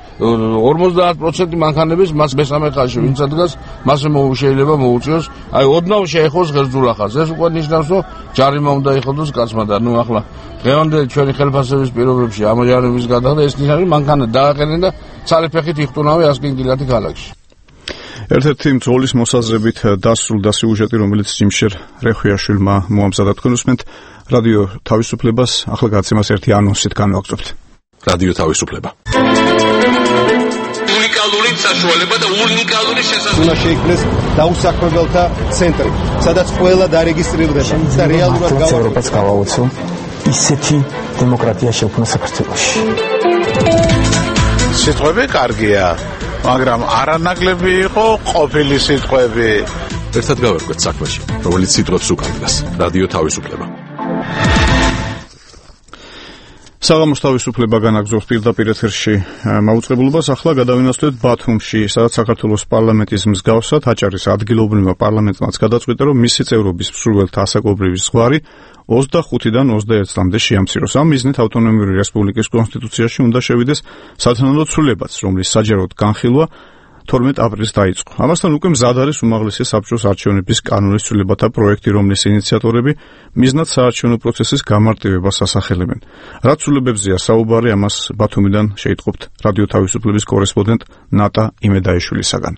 ორმოცდაათ პროცენტი მანქანების მას მესამე ხაზში ვინც ადგას, მას შეიძლება მოუწიოს, აი ოდნავ შეეხოს ღერძულახაზს. ეს უკვე ნიშნავს, რომ ჯარიმა უნდა იხოდოს კაცმა და ნუ ახლა დღევანდელი ჩვენი ხელფასების პირობებში ამ ჯარიმის გადახდა ეს ნიშნავს, მანქანა დააყენენ და ცალიფეხით იხტუნავენ ასკინგილათი ქალაქში. ერთ-ერთი მძღოლის მოსაზრებით დასრულდა სიუჟეტი, რომელიც ჯიმშერ რეხვიაშვილმა მოამზადა. თქვენ უსმენთ რადიო თავისუფლებას, ახლა გადაცემას ერთი ანონსით განვაგრძობთ. რადიო თავისუფლება. უნიკალური საშუალება და უნიკალური შესაძლებლობა. უნდა შეიქმნეს დაუსაქმებელთა ცენტრი, სადაც ყველა დარეგისტრირდება და რეალურად ევროპას გავაოცო ისეთი დემოკრატია შექმნა საქართველოში. სიტყვები კარგია, მაგრამ არანაკლები იყო ყოფილი სიტყვები. ერთად გავერკვეთ საქმეში, რომელიც სიტყვებს უკარგავს. რადიო თავისუფლება. საღამოს თავისუფლება განაგზობს პირდაპირ ეთერში მაუწყებლობას. ახლა გადავინაცვლეთ ბათუმში, სადაც საქართველოს პარლამენტის მსგავსად აჭარის ადგილობრივმა პარლამენტმაც გადაწყვიტა, რომ მისი წევრობის მსურველთა ასაკობრივი ზღვარი ოცდახუთიდან ოცდაერთ წლამდე შეამციროს. ამ მიზნით ავტონომიური რესპუბლიკის კონსტიტუციაში უნდა შევიდეს სათანადო ცვლილებაც, რომლის საჯაროდ განხილვა თორმეტ აპრილს დაიწყო. ამასთან უკვე მზად არის უმაღლესი საბჭოს არჩევნების კანონის ცვლილებათა პროექტი, რომლის ინიციატორები მიზნად საარჩევნო პროცესის გამარტივებას ასახელებენ. რა ცვლილებებზეა საუბარი, ამას ბათუმიდან შეიტყობთ რადიო თავისუფლების კორესპონდენტ ნატა იმედაიშვილისაგან.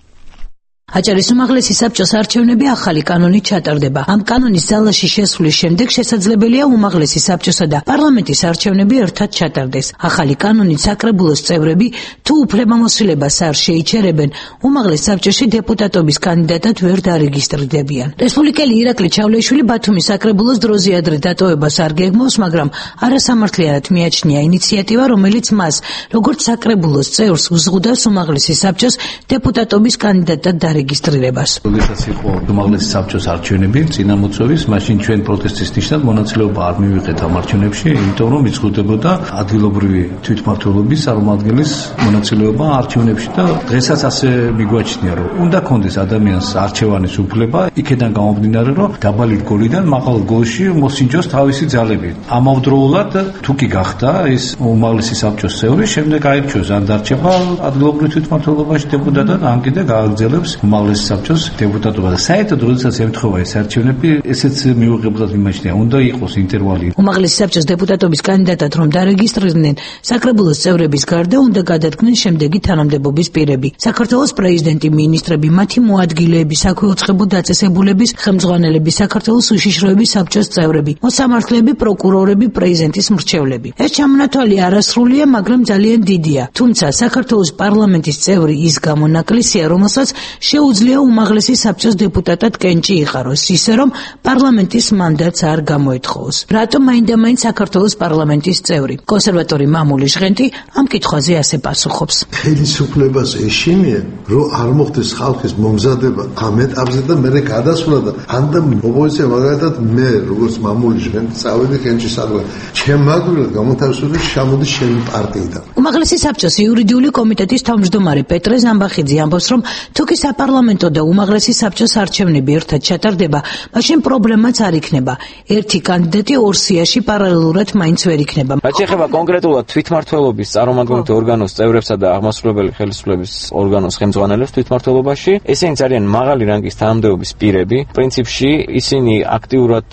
აჭარის უმაღლესი საბჭოს არჩევნები ახალი კანონით ჩატარდება. ამ კანონის ძალაში შესვლის შემდეგ შესაძლებელია უმაღლესი საბჭოსა და პარლამენტის არჩევნები ერთად ჩატარდეს. ახალი კანონით საკრებულოს წევრები თუ უფლებამოსილებას არ შეიჩერებენ, უმაღლეს საბჭოში დეპუტატობის კანდიდატად ვერ დარეგისტრირდებიან. რესპუბლიკელი ირაკლი ჩავლეიშვილი ბათუმის საკრებულოს დროზე ადრე დატოვებას არ გეგმავს, მაგრამ არასამართლიანად მიაჩნია ინიციატივა, რომელიც მას, როგორც საკრებულოს წევრს, უზღუდავს უმაღლესი საბჭოს დეპუტატობის კანდიდატად რეგისტრირებას. როდესაც იყო უმაღლესი საბჭოს არჩევნები წინამოწვევის, მაშინ ჩვენ პროტესტის ნიშნად მონაწილეობა არ მივიღეთ ამ არჩევნებში, იმიტომ რომ იზღუდებოდა ადგილობრივი თვითმმართველობის წარმომადგენლის მონაწილეობა არჩევნებში და დღესაც ასე მიგვაჩნია, რომ უნდა კონდეს ადამიანს არჩევანის უფლება, იქიდან გამომდინარე, რომ დაბალი რგოლიდან მაღალ რგოლში მოსინჯოს თავისი ძალები. ამავდროულად თუ კი გახდა ეს უმაღლესი საბჭოს წევრი, შემდეგ აირჩიოს ან დარჩება ადგილობრივ თვითმმართველობაში დეპუტატად, ან კიდე გააგრძელებს უმაღლესი საბჭოს დეპუტატობა და საერთოდ როდესაც ემთხვევა ეს არჩევნები, ესეც მიუღებლად იმაჩნია, უნდა იყოს ინტერვალი. უმაღლესი საბჭოს დეპუტატობის კანდიდატად რომ დარეგისტრირდნენ, საკრებულოს წევრების გარდა უნდა გადადგნენ შემდეგი თანამდებობის პირები: საქართველოს პრეზიდენტი, მინისტრები, მათი მოადგილეები, საქვეუწყებო დაწესებულების ხელმძღვანელები, საქართველოს უშიშროების საბჭოს წევრები, მოსამართლეები, პროკურორები, პრეზიდენტის მრჩევლები. ეს ჩამონათვალი არასრულია, მაგრამ ძალიან დიდია. თუმცა საქართველოს პარლამენტის წევრი ის გამონაკლისია, რომელსაც შეუძლია უმაღლესი საბჭოს დეპუტატად კენჭი იყაროს, ისე რომ პარლამენტის მანდატს არ გამოეთხოვოს. რატომ მაინდა-მაინც საქართველოს პარლამენტის წევრი? კონსერვატორი მამული ჟღენტი ამ კითხვაზე ასე პასუხობს. ხელისუფლებას ეშინია, რომ არ მოხდეს ხალხის მომზადება ამ ეტაპზე და მერე გადასვლა და ანდა ოპოზიცია მაგალითად მე როგორც მამული ჟღენტი წავედი კენჭისადმი. ჩემ მაგურად გამოთავისუფლდა შემოდი ჩემი პარტიიდან. უმაღლესი საბჭოს იურიდიული კომიტეტის თავმჯდომარე პეტრე ზამბახიძე ამბობს, რომ თუ კი საპარლამენტო და უმაღლესი საბჭოს არჩევნები ერთად ჩატარდება, მაშინ პრობლემაც არ იქნება. ერთი კანდიდატი ორ სიაში პარალელურად მაინც ვერ იქნება. რაც ეხება კონკრეტულად თვითმმართველობის წარმომადგენელთა ორგანოს წევრებსა და აღმასრულებელი ხელისუფლების ორგანოს ხელმძღვანელებს თვითმმართველობაში, ესენი ძალიან მაღალი რანგის თანამდებობის პირები. პრინციპში ისინი აქტიურად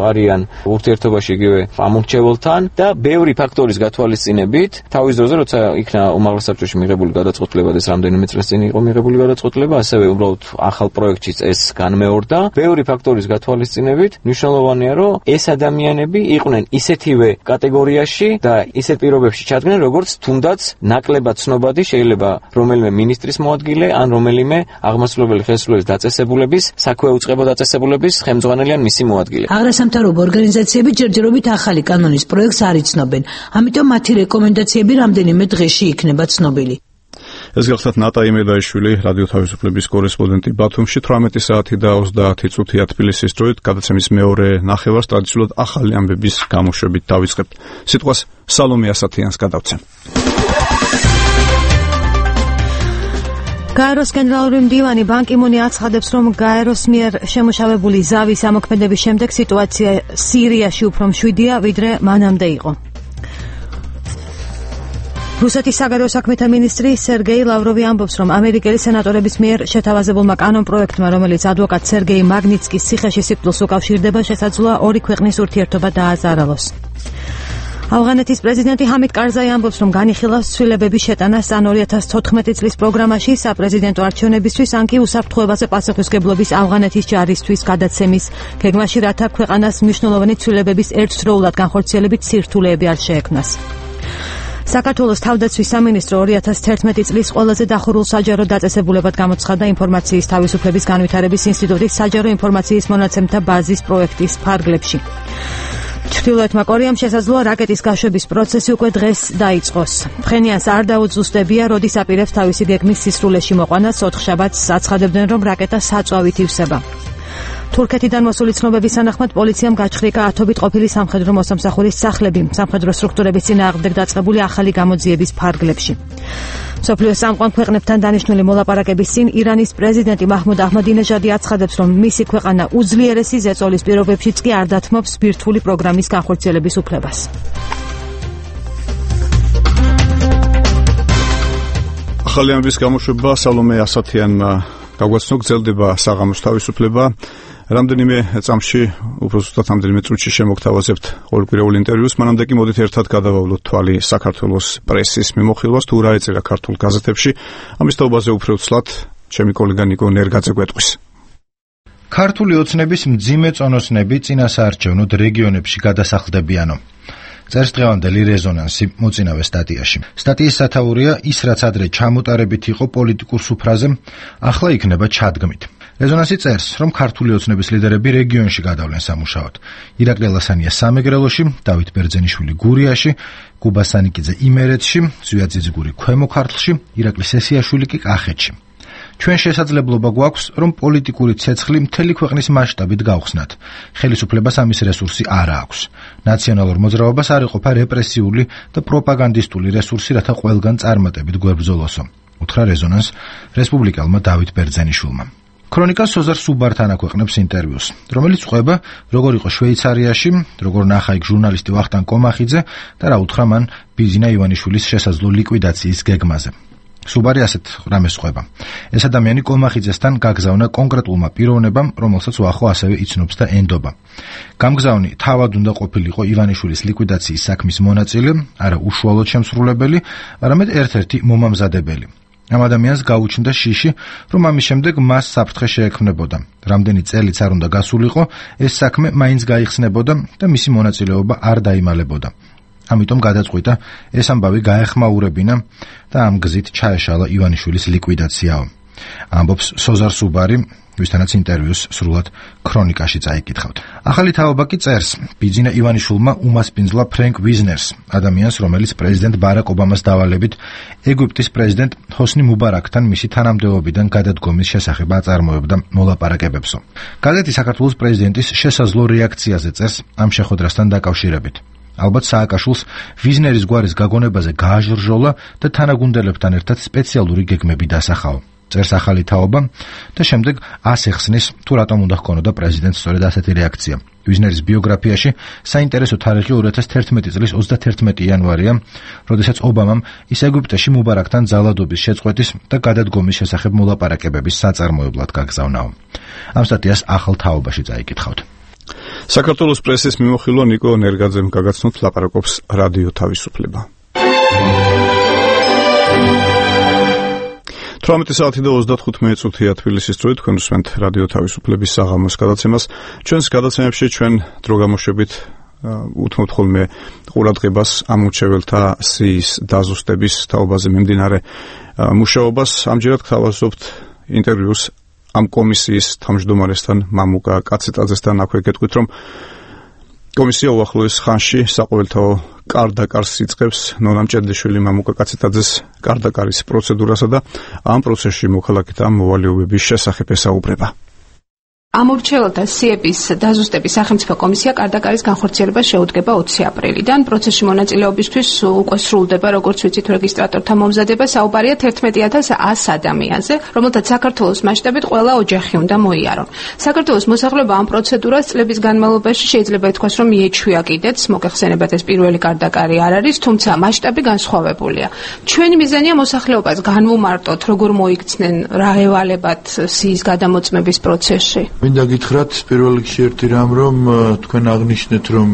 არიან ურთიერთობაში იგივე ამორჩეველთან და ბევრი ფაქტორის გათვალისწინებით, თავის დროზე როცა იქნა უმაღლეს საბჭოში მიღებული გადაწყვეტილება და ეს რამდენიმე წელს წინ იყო მიღებული გადაწყვეტილება, ასევე უბრალოდ ახალ პროექტშიც ეს განმეორდა. ბევრი ფაქტორის გათვალისწინებით მნიშვნელოვანია, რომ ეს ადამიანები იყვნენ ისეთივე კატეგორიაში და ისეთ პირობებში ჩადგნენ, როგორც თუნდაც ნაკლებად ცნობადი შეიძლება რომელიმე მინისტრის მოადგილე ან რომელიმე აღმასრულებელი ხელისუფლების დაწესებულების, საქვეუწყებო დაწესებულების ხელმძღვანელი ან მისი მოადგილე. აღარასამთავრობო ორგანიზაციები ჯერჯერობით ახალი კანონის პროექტს არ იცნობენ, ამიტომ მათი რეკომენდაციები რამდენიმე დღეში იქნება ცნობილი. ეს გახლავთ ნატა იმედაიშვილი, რადიო თავისუფლების კორესპონდენტი ბათუმში, თვრამეტი საათი და ოცდაათი წუთია თბილისის დროით, გადაცემის მეორე ნახევარს ტრადიციულად ახალი ამბების გამოშვებით დავიწყებთ. სიტყვას სალომე ასათიანს გადავცემ. გაეროს გენერალური მდივანი ბან კი მუნი აცხადებს, რომ გაეროს მიერ შემუშავებული ზავის ამოქმედების შემდეგ სიტუაცია სირიაში უფრო მშვიდია, ვიდრე მანამდე იყო. რუსეთის საგარეო საქმეთა მინისტრი სერგეი ლავროვი ამბობს, რომ ამერიკელი სენატორების მიერ შეთავაზებულმა კანონ პროექტმა, რომელიც ადვოკატ სერგეი მაგნიცკის ციხეში სიკვდილს უკავშირდება, შესაძლოა ორი ქვეყნის ურთიერთობა დააზარალოს. ავღანეთის პრეზიდენტი ჰამიდ კარზაი ამბობს, რომ განიხილავს ცვლილებების შეტანა სან ორი ათას თოთხმეტი წლის პროგრამაში საპრეზიდენტო არჩევნებისთვის, ან კი უსაფრთხოებაზე პასუხისმგებლობის ავღანეთის ჯარისთვის გადაცემის გეგმაში, რათა ქვეყანას მნიშვნელოვანი ცვლილებების ერთდროულად განხორციელებით სირთულეები არ შეექმნას. საქართველოს თავდაცვის სამინისტრო ორი ათას თერთმეტი წლის ყველაზე დახურულ საჯარო დაწესებულებად გამოცხადდა ინფორმაციის თავისუფლების განვითარების ინსტიტუტის საჯარო ინფორმაციის მონაცემთა ბაზის პროექტის ფარგლებში. ჩრდილოეთმა კორეამ შესაძლოა რაკეტის გაშვების პროცესი უკვე დღეს დაიწყოს. ფხენიანს არ დაუძუსტებია, როდის აპირებს თავისი გეგმის სისრულეში მოყვანას, ოთხშაბათს აცხადებდნენ, რომ რაკეტა საწვავით ივსება. თურქეთიდან მოსული ცნობების თანახმად პოლიციამ გაჩხრიკა ათობით ყოფილი სამხედრო მოსამსახურის სახლები სამხედრო სტრუქტურების წინააღმდეგ დაწყებული ახალი გამოძიების ფარგლებში. მსოფლიოს წამყვან ქვეყნებთან დანიშნული მოლაპარაკების წინ ირანის პრეზიდენტი მაჰმუდ აჰმადინეჟადი აცხადებს, რომ მისი ქვეყანა უძლიერესი ზეწოლის პირობებშიც კი არ დათმობს ბირთვული პროგრამის განხორციელების უფლებას. ახალი ამბის გამოშვება სალომე ასათიანმა გაგვაცნო, გრძელდება საღამოს თავისუფლება. რამდენიმე წამში, უფრო ზუსტად რამდენიმე წუთში შემოგთავაზებთ ყოველკვირეულ ინტერვიუს, მანამდე კი მოდით ერთად გადავავლოთ თვალი საქართველოს პრესის მიმოხილვას, თუ რა ეწერა ქართულ გაზეთებში. ამის თაობაზე უფრო ცლად ჩემი კოლეგა ნიკო ნერგაძე გვეტყვის. ქართული ოცნების მძიმე წონოსნები წინასაარჩევნოდ რეგიონებში გადასახლდებიანო. წერს დღევანდელი რეზონანსი მოწინავე სტატიაში. სტატიის სათაურია ის, რაც ადრე ჩამოტარებით იყო პოლიტიკურ სუფრაზე, ახლა იქნება ჩადგმით. რეზონანსი წერს, რომ ქართული ოცნების ლიდერები რეგიონში გადავლენ სამუშაოდ. ირაკლი ლასანია სამეგრელოში, დავით ბერძენიშვილი გურიაში, კუბა სანიკიძე იმერეთში, ზვია ძიძგური ქვემო ქართლში, ირაკლი სესიაშვილი კი კახეთში. ჩვენ შესაძლებლობა გვაქვს, რომ პოლიტიკური ცეცხლი მთელი ქვეყნის მასშტაბით გავხსნათ. ხელისუფლებას ამის რესურსი არ აქვს. ნაციონალურ მოძრაობას არ იყოფა რეპრესიული და პროპაგანდისტული რესურსი, რათა ყველგან წარმატებით გვებრძოლოსო. უთხრა რეზონანს რესპუბლიკელმა დავით ბერძენიშვილმა. ქრონიკას სოზარ სუბართან აქვეყნებს ინტერვიუს, რომელიც ყვება, როგორ იყო შვეიცარიაში, როგორ ნახა იქ ჟურნალისტი ვახტანგ კომახიძე და რა უთხრა მან ბიზინა ივანიშვილის შესაძლო ლიკვიდაციის გეგმაზე. სუბარი ასეთ რამეს ყვება. ეს ადამიანი კოლმახიძესთან გაგზავნა კონკრეტულმა პიროვნებამ, რომელსაც უახო ასევე იცნობს და ენდობა. გამგზავნი თავად უნდა ყოფილიყო ივანიშვილის ლიკვიდაციის საქმის მონაწილე, არა უშუალოდ შემსრულებელი, არამედ ერთ-ერთი მომამზადებელი. ამ ადამიანს გაუჩნდა შიში, რომ ამის შემდეგ მას საფრთხე შეექმნებოდა. რამდენი წელიც არ უნდა გასულიყო, ეს საქმე მაინც გაიხსნებოდა და მისი მონაწილეობა არ დაიმალებოდა. ამიტომ გადაწყვიტა ეს ამბავი გაეხმაურებინა და ამ გზით ჩაეშალა ივანიშვილის ლიკვიდაციაო. ამბობს სოზარ სუბარი, ვისთანაც ინტერვიუს სრულად ქრონიკაში წაიკითხავთ. ახალი თაობა კი წერს, ბიძინა ივანიშვილმა უმასპინძლა ფრენკ ვიზნერს, ადამიანს, რომელიც პრეზიდენტ ბარაკ ობამას დავალებით ეგვიპტის პრეზიდენტ ჰოსნი მუბარაკთან მისი თანამდებობიდან გადადგომის შესახებ აწარმოებდა მოლაპარაკებებსო. გაზეთი საქართველოს პრეზიდენტის შესაძლო რეაქციაზე წერს ამ შეხვედრასთან დაკავშირებით. ალბათ სააკაშვილს ვიზნერის გვარის გაგონებაზე გააჟრჟოლა და თანაგუნდელებთან ერთად სპეციალური გეგმები დასახაო. წერს ახალი თაობა და შემდეგ ასეხსნის თუ რატომ უნდა ჰქონოდა პრეზიდენტს სწორედ ასეთი რეაქცია. ვიზნერის ბიოგრაფიაში საინტერესო თარიღი ორი ათას თერთმეტი წლის ოცდათერთმეტი იანვარია, როდესაც ობამამ ის ეგვიპტეში მუბარაკთან ძალადობის შეწყვეტის და გადადგომის შესახებ მოლაპარაკებების საწარმოებლად გაგზავნაო. ამ სტატიას ახალ თაობაში წაიკითხავთ. საქართველოს პრესის მიმოხილვა ნიკო ნერგაძემ გაგაცნოთ ლაპარაკობს რადიო თავისუფლება. თვრამეტი საათი და ოცდათხუთი წუთია თბილისის დროით, თქვენ უსმენთ რადიო თავისუფლების საღამოს გადაცემას. ჩვენს გადაცემებში ჩვენ დრო გამოშვებით უთმობთ ხოლმე ყურადღებას ამ მრჩეველთა სიის დაზუსტების თაობაზე მიმდინარე მუშაობას. ამჯერად გთავაზობთ ინტერვიუს ამ კომისიის თავმჯდომარესთან მამუკა კაცეტაძესთან. აქვე გეტყვით, რომ კომისია უახლოეს ხანში საყოველთაო კარდაკარს იწყებს ნონამ ჭედლიშვილი მამუკა კაცეტაძეს კარდაკარის პროცედურასა და ამ პროცესში მოქალაქეთა მოვალეობების შესახებ ესაუბრება. ამ მრჩეველთა სიების დაზუსტების სახელმწიფო კომისია კარდაკარის განხორციელებას შეუდგება ოცი აპრილიდან. პროცესში მონაწილეობისთვის უკვე სრულდება, როგორც ვიცით, რეგისტრატორთა მომზადება. საუბარია თერთმეტი ათას ას ადამიანზე, რომელთაც საქართველოს მასშტაბით ყველა ოჯახი უნდა მოიარონ. საქართველოს მოსახლეობა ამ პროცედურას წლების განმავლობაში შეიძლება ითქვას, რომ მიეჩვია კიდეც, მოგეხსენებათ, ეს პირველი კარდაკარი არ არის, თუმცა მასშტაბი განსხვავებულია. ჩვენი მიზანია მოსახლეობას განვუმარტოთ, როგორ მოიქცნენ რა ევალებათ სიის გადამოწმების პროცესში. მინდა გითხრათ პირველ რიგში ერთი რამ, რომ თქვენ აღნიშნეთ, რომ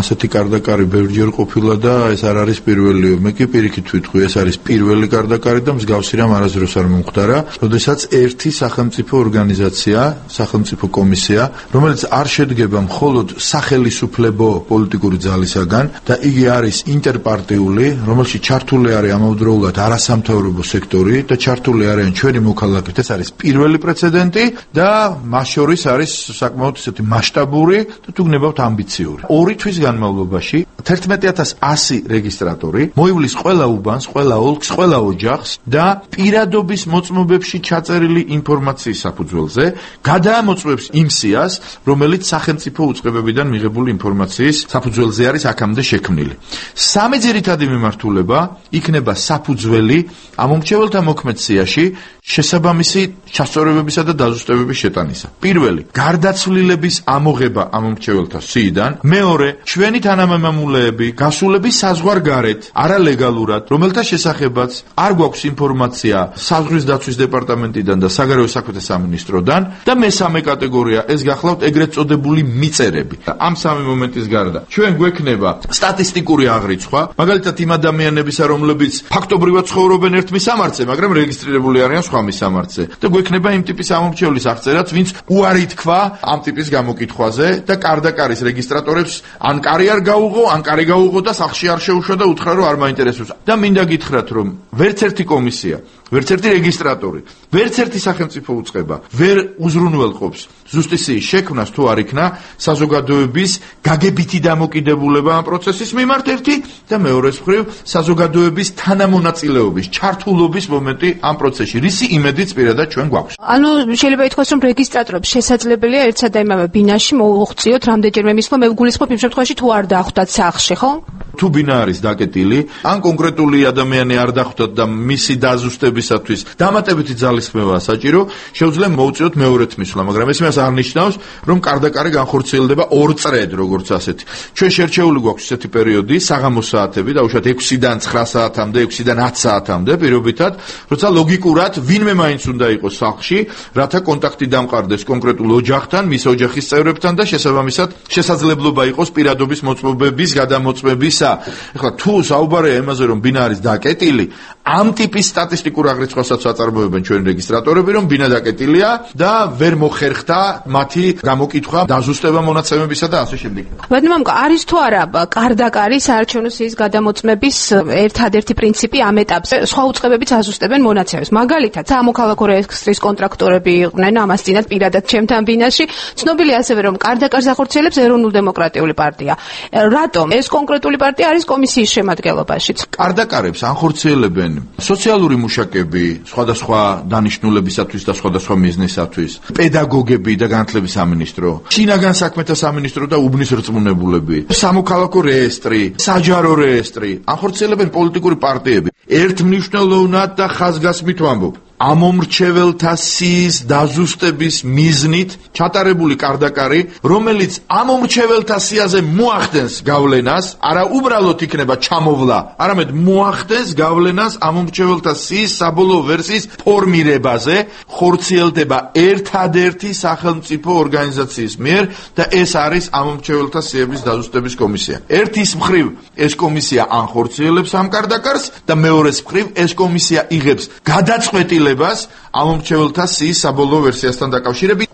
ასეთი კარდაკარი ბევრჯერ ყოფილა და ეს არ არის პირველი. მე კი პირიქით ვიტყვი, ეს არის პირველი კარდაკარი და მსგავსი რამ არასდროს არ მომხდარა, როდესაც ერთი სახელმწიფო ორგანიზაცია, სახელმწიფო კომისია, რომელიც არ შედგება მხოლოდ სახელისუფლებო პოლიტიკური ძალისაგან და იგი არის ინტერპარტიული, რომელშიც ჩართული არის ამავდროულად არასამთავრობო სექტორი და ჩართული არიან ჩვენი მოქალაქეები. ეს არის პირველი პრეცედენტი და მას შორის არის საკმაოდ ისეთი მასშტაბური და თუ გნებავთ ამბიციური. ორი თვის განმავლობაში თერთმეტი ათას ასი რეგისტრატორი მოივლის ყველა უბანს, ყველა ოლქს, ყველა ოჯახს და პირადობის მოწმობებში ჩაწერილი ინფორმაციის საფუძველზე გადაამოწმებს იმ სიას, რომელიც სახელმწიფო უწყებებიდან მიღებული ინფორმაციის საფუძველზე არის აქამდე შექმნილი. სამი ძირითადი მიმართულება იქნება საფუძველი ამ მომრჩეველთა მოქმედ სიაში შესაბამისი ჩასწორებებისა და დაზუსტებების შეტანისა. პირველი, გარდაცვლილების ამოღება ამ მომრჩეველთა სიიდან. მეორე, ჩვენი თანამემამულეები გასულების საზღვარგარეთ, არალეგალურად, რომელთა შესახებაც არ გვაქვს ინფორმაცია საზღვრის დაცვის დეპარტამენტიდან და საგარეო საქმეთა სამინისტროდან და მესამე კატეგორია, ეს გახლავთ ეგრეთ წოდებული მიწერები. ამ სამი მომენტის გარდა ჩვენ გვექნება სტატისტიკური აღრიცხვა, მაგალითად იმ ადამიანებისა, რომლებიც ფაქტობრივად ცხოვრობენ ერთ მისამართზე, მაგრამ რეგისტრირებული არიან სხვა მისამართზე და გვექნება იმ ტიპის ამომრჩევლის აღწერაც, ვინც უარი თქვა ამ ტიპის გამოკითხვაზე და კარდაკარის რეგისტრატორებს ან კარი არ გაუღო, ან კარი გაუღო და სახლში არ შეუშვა და უთხრა, რომ არ მაინტერესებს. და მინდა გითხრათ, რომ ვერც ერთი კომისია, ვერც ერთი რეგისტრატორი, ვერც ერთი სახელმწიფო უწყება ვერ უზრუნველყოფს ზუსტიციის შექმნას თუ არ იქნა საზოგადოების გაგებითი დამოკიდებულება ამ პროცესის მიმართ ერთი და მეორეს მხრივ საზოგადოების თანამონაწილეობის, ჩართულობის მომენტი ამ პროცესში, რისი იმედიც პირადად ჩვენ გვაქვს. ანუ შეიძლება ითქვას, რომ რეგისტრატორებს შესაძლებელია ერთსა და იმავე ბინაში მოუღწიოთ რამდენჯერმე მისვლა, მე ვგულისხმობ იმ შემთხვევაში თუ არ დახვდათ სახლში, ხო? თუ ბინა არის დაკეტილი, ან კონკრეტული ადამიანი არ დახვდათ და მისი დაზუსტებისათვის დამატებითი ძალისხმევაა საჭირო, შეუძლია მოუწიოთ მეორედ მისვლა, მაგრამ ეს იმას არ ნიშნავს, რომ კარდაკარი განხორციელდება ორ წრედ, როგორც ასეთი. ჩვენ შერჩეული გვაქვს ესეთი პერიოდი, საღამოს საათები, დაუშვათ ექვსიდან ცხრა საათამდე, ექვსიდან ათ საათამდე, პირობითად, როცა ლოგიკურად ვინმე მაინც უნდა იყოს სახლში, რათა კონტაქტი დამყარდეს კონკრეტულ ოჯახთან, მის ოჯახის წევრებთან და შესაბამისად შესაძლებლობა იყოს პირადობის მოწმობების გადამოწმებისა. ეხლა თუ საუბარია იმაზე, რომ ბინა არის დაკეტილი, ამ ტიპის სტატისტიკურ აღრიცხვასაც აწარმოებენ ჩვენი რეგისტრატორები, რომ ბინა დაკეტილია და ვერ მოხერხდა მათი გამოკითხვა, დაზუსტება მონაცემებისა და ასე შემდეგ. ბატონო, არის თუ არა კარდაკარი საარჩევნო სიის გადამოწმების ერთადერთი პრინციპი ამ ეტაპზე? სხვა უწყებებიც აზუსტებენ მონაცემებს. მაგალითად, სამოქალაქო რეესტრის კონტრაქტორები იყვნენ ამას წინათ პირადად ჩემთან ბინაში. ცნობილია ასევე, რომ კარდაკარს ახორციელებს ეროვნულ-დემოკრატიული პარტია. რატომ ეს კონკრეტული პარტია არის კომისიის შემადგენლობაშიც? კარდაკარებს ახორციელებენ სოციალური მუშაკები, სხვადასხვა დანიშნულებისათვის და სხვადასხვა მიზნისათვის, პედაგოგები და განათლების სამინისტრო, შინაგან საქმეთა სამინისტრო და უბნის რწმუნებულები, სამოქალაქო რეესტრი, საჯარო რეესტრი, ახორციელებენ პოლიტიკური პარტიები. ერთმნიშვნელოვნად და ხაზგასმით ვამბობ, ამომრჩეველთა სიის დაზუსტების მიზნით ჩატარებული კარდაკარი, რომელიც ამომრჩეველთა სიაზე მოახდენს გავლენას, არა უბრალოდ იქნება ჩამოვლა, არამედ მოახდენს გავლენას ამომრჩეველთა სიის საბოლოო ვერსიის ფორმირებაზე, ხორციელდება ერთადერთი სახელმწიფო ორგანიზაციის მიერ და ეს არის ამომრჩეველთა სიების დაზუსტების კომისია. ერთის მხრივ ეს კომისია ანხორციელებს ამ კარდაკარს და მეორეს მხრივ ეს კომისია იღებს გადაწყვეტილებას ამომრჩეველთა სიის საბოლოო ვერსიასთან დაკავშირებით.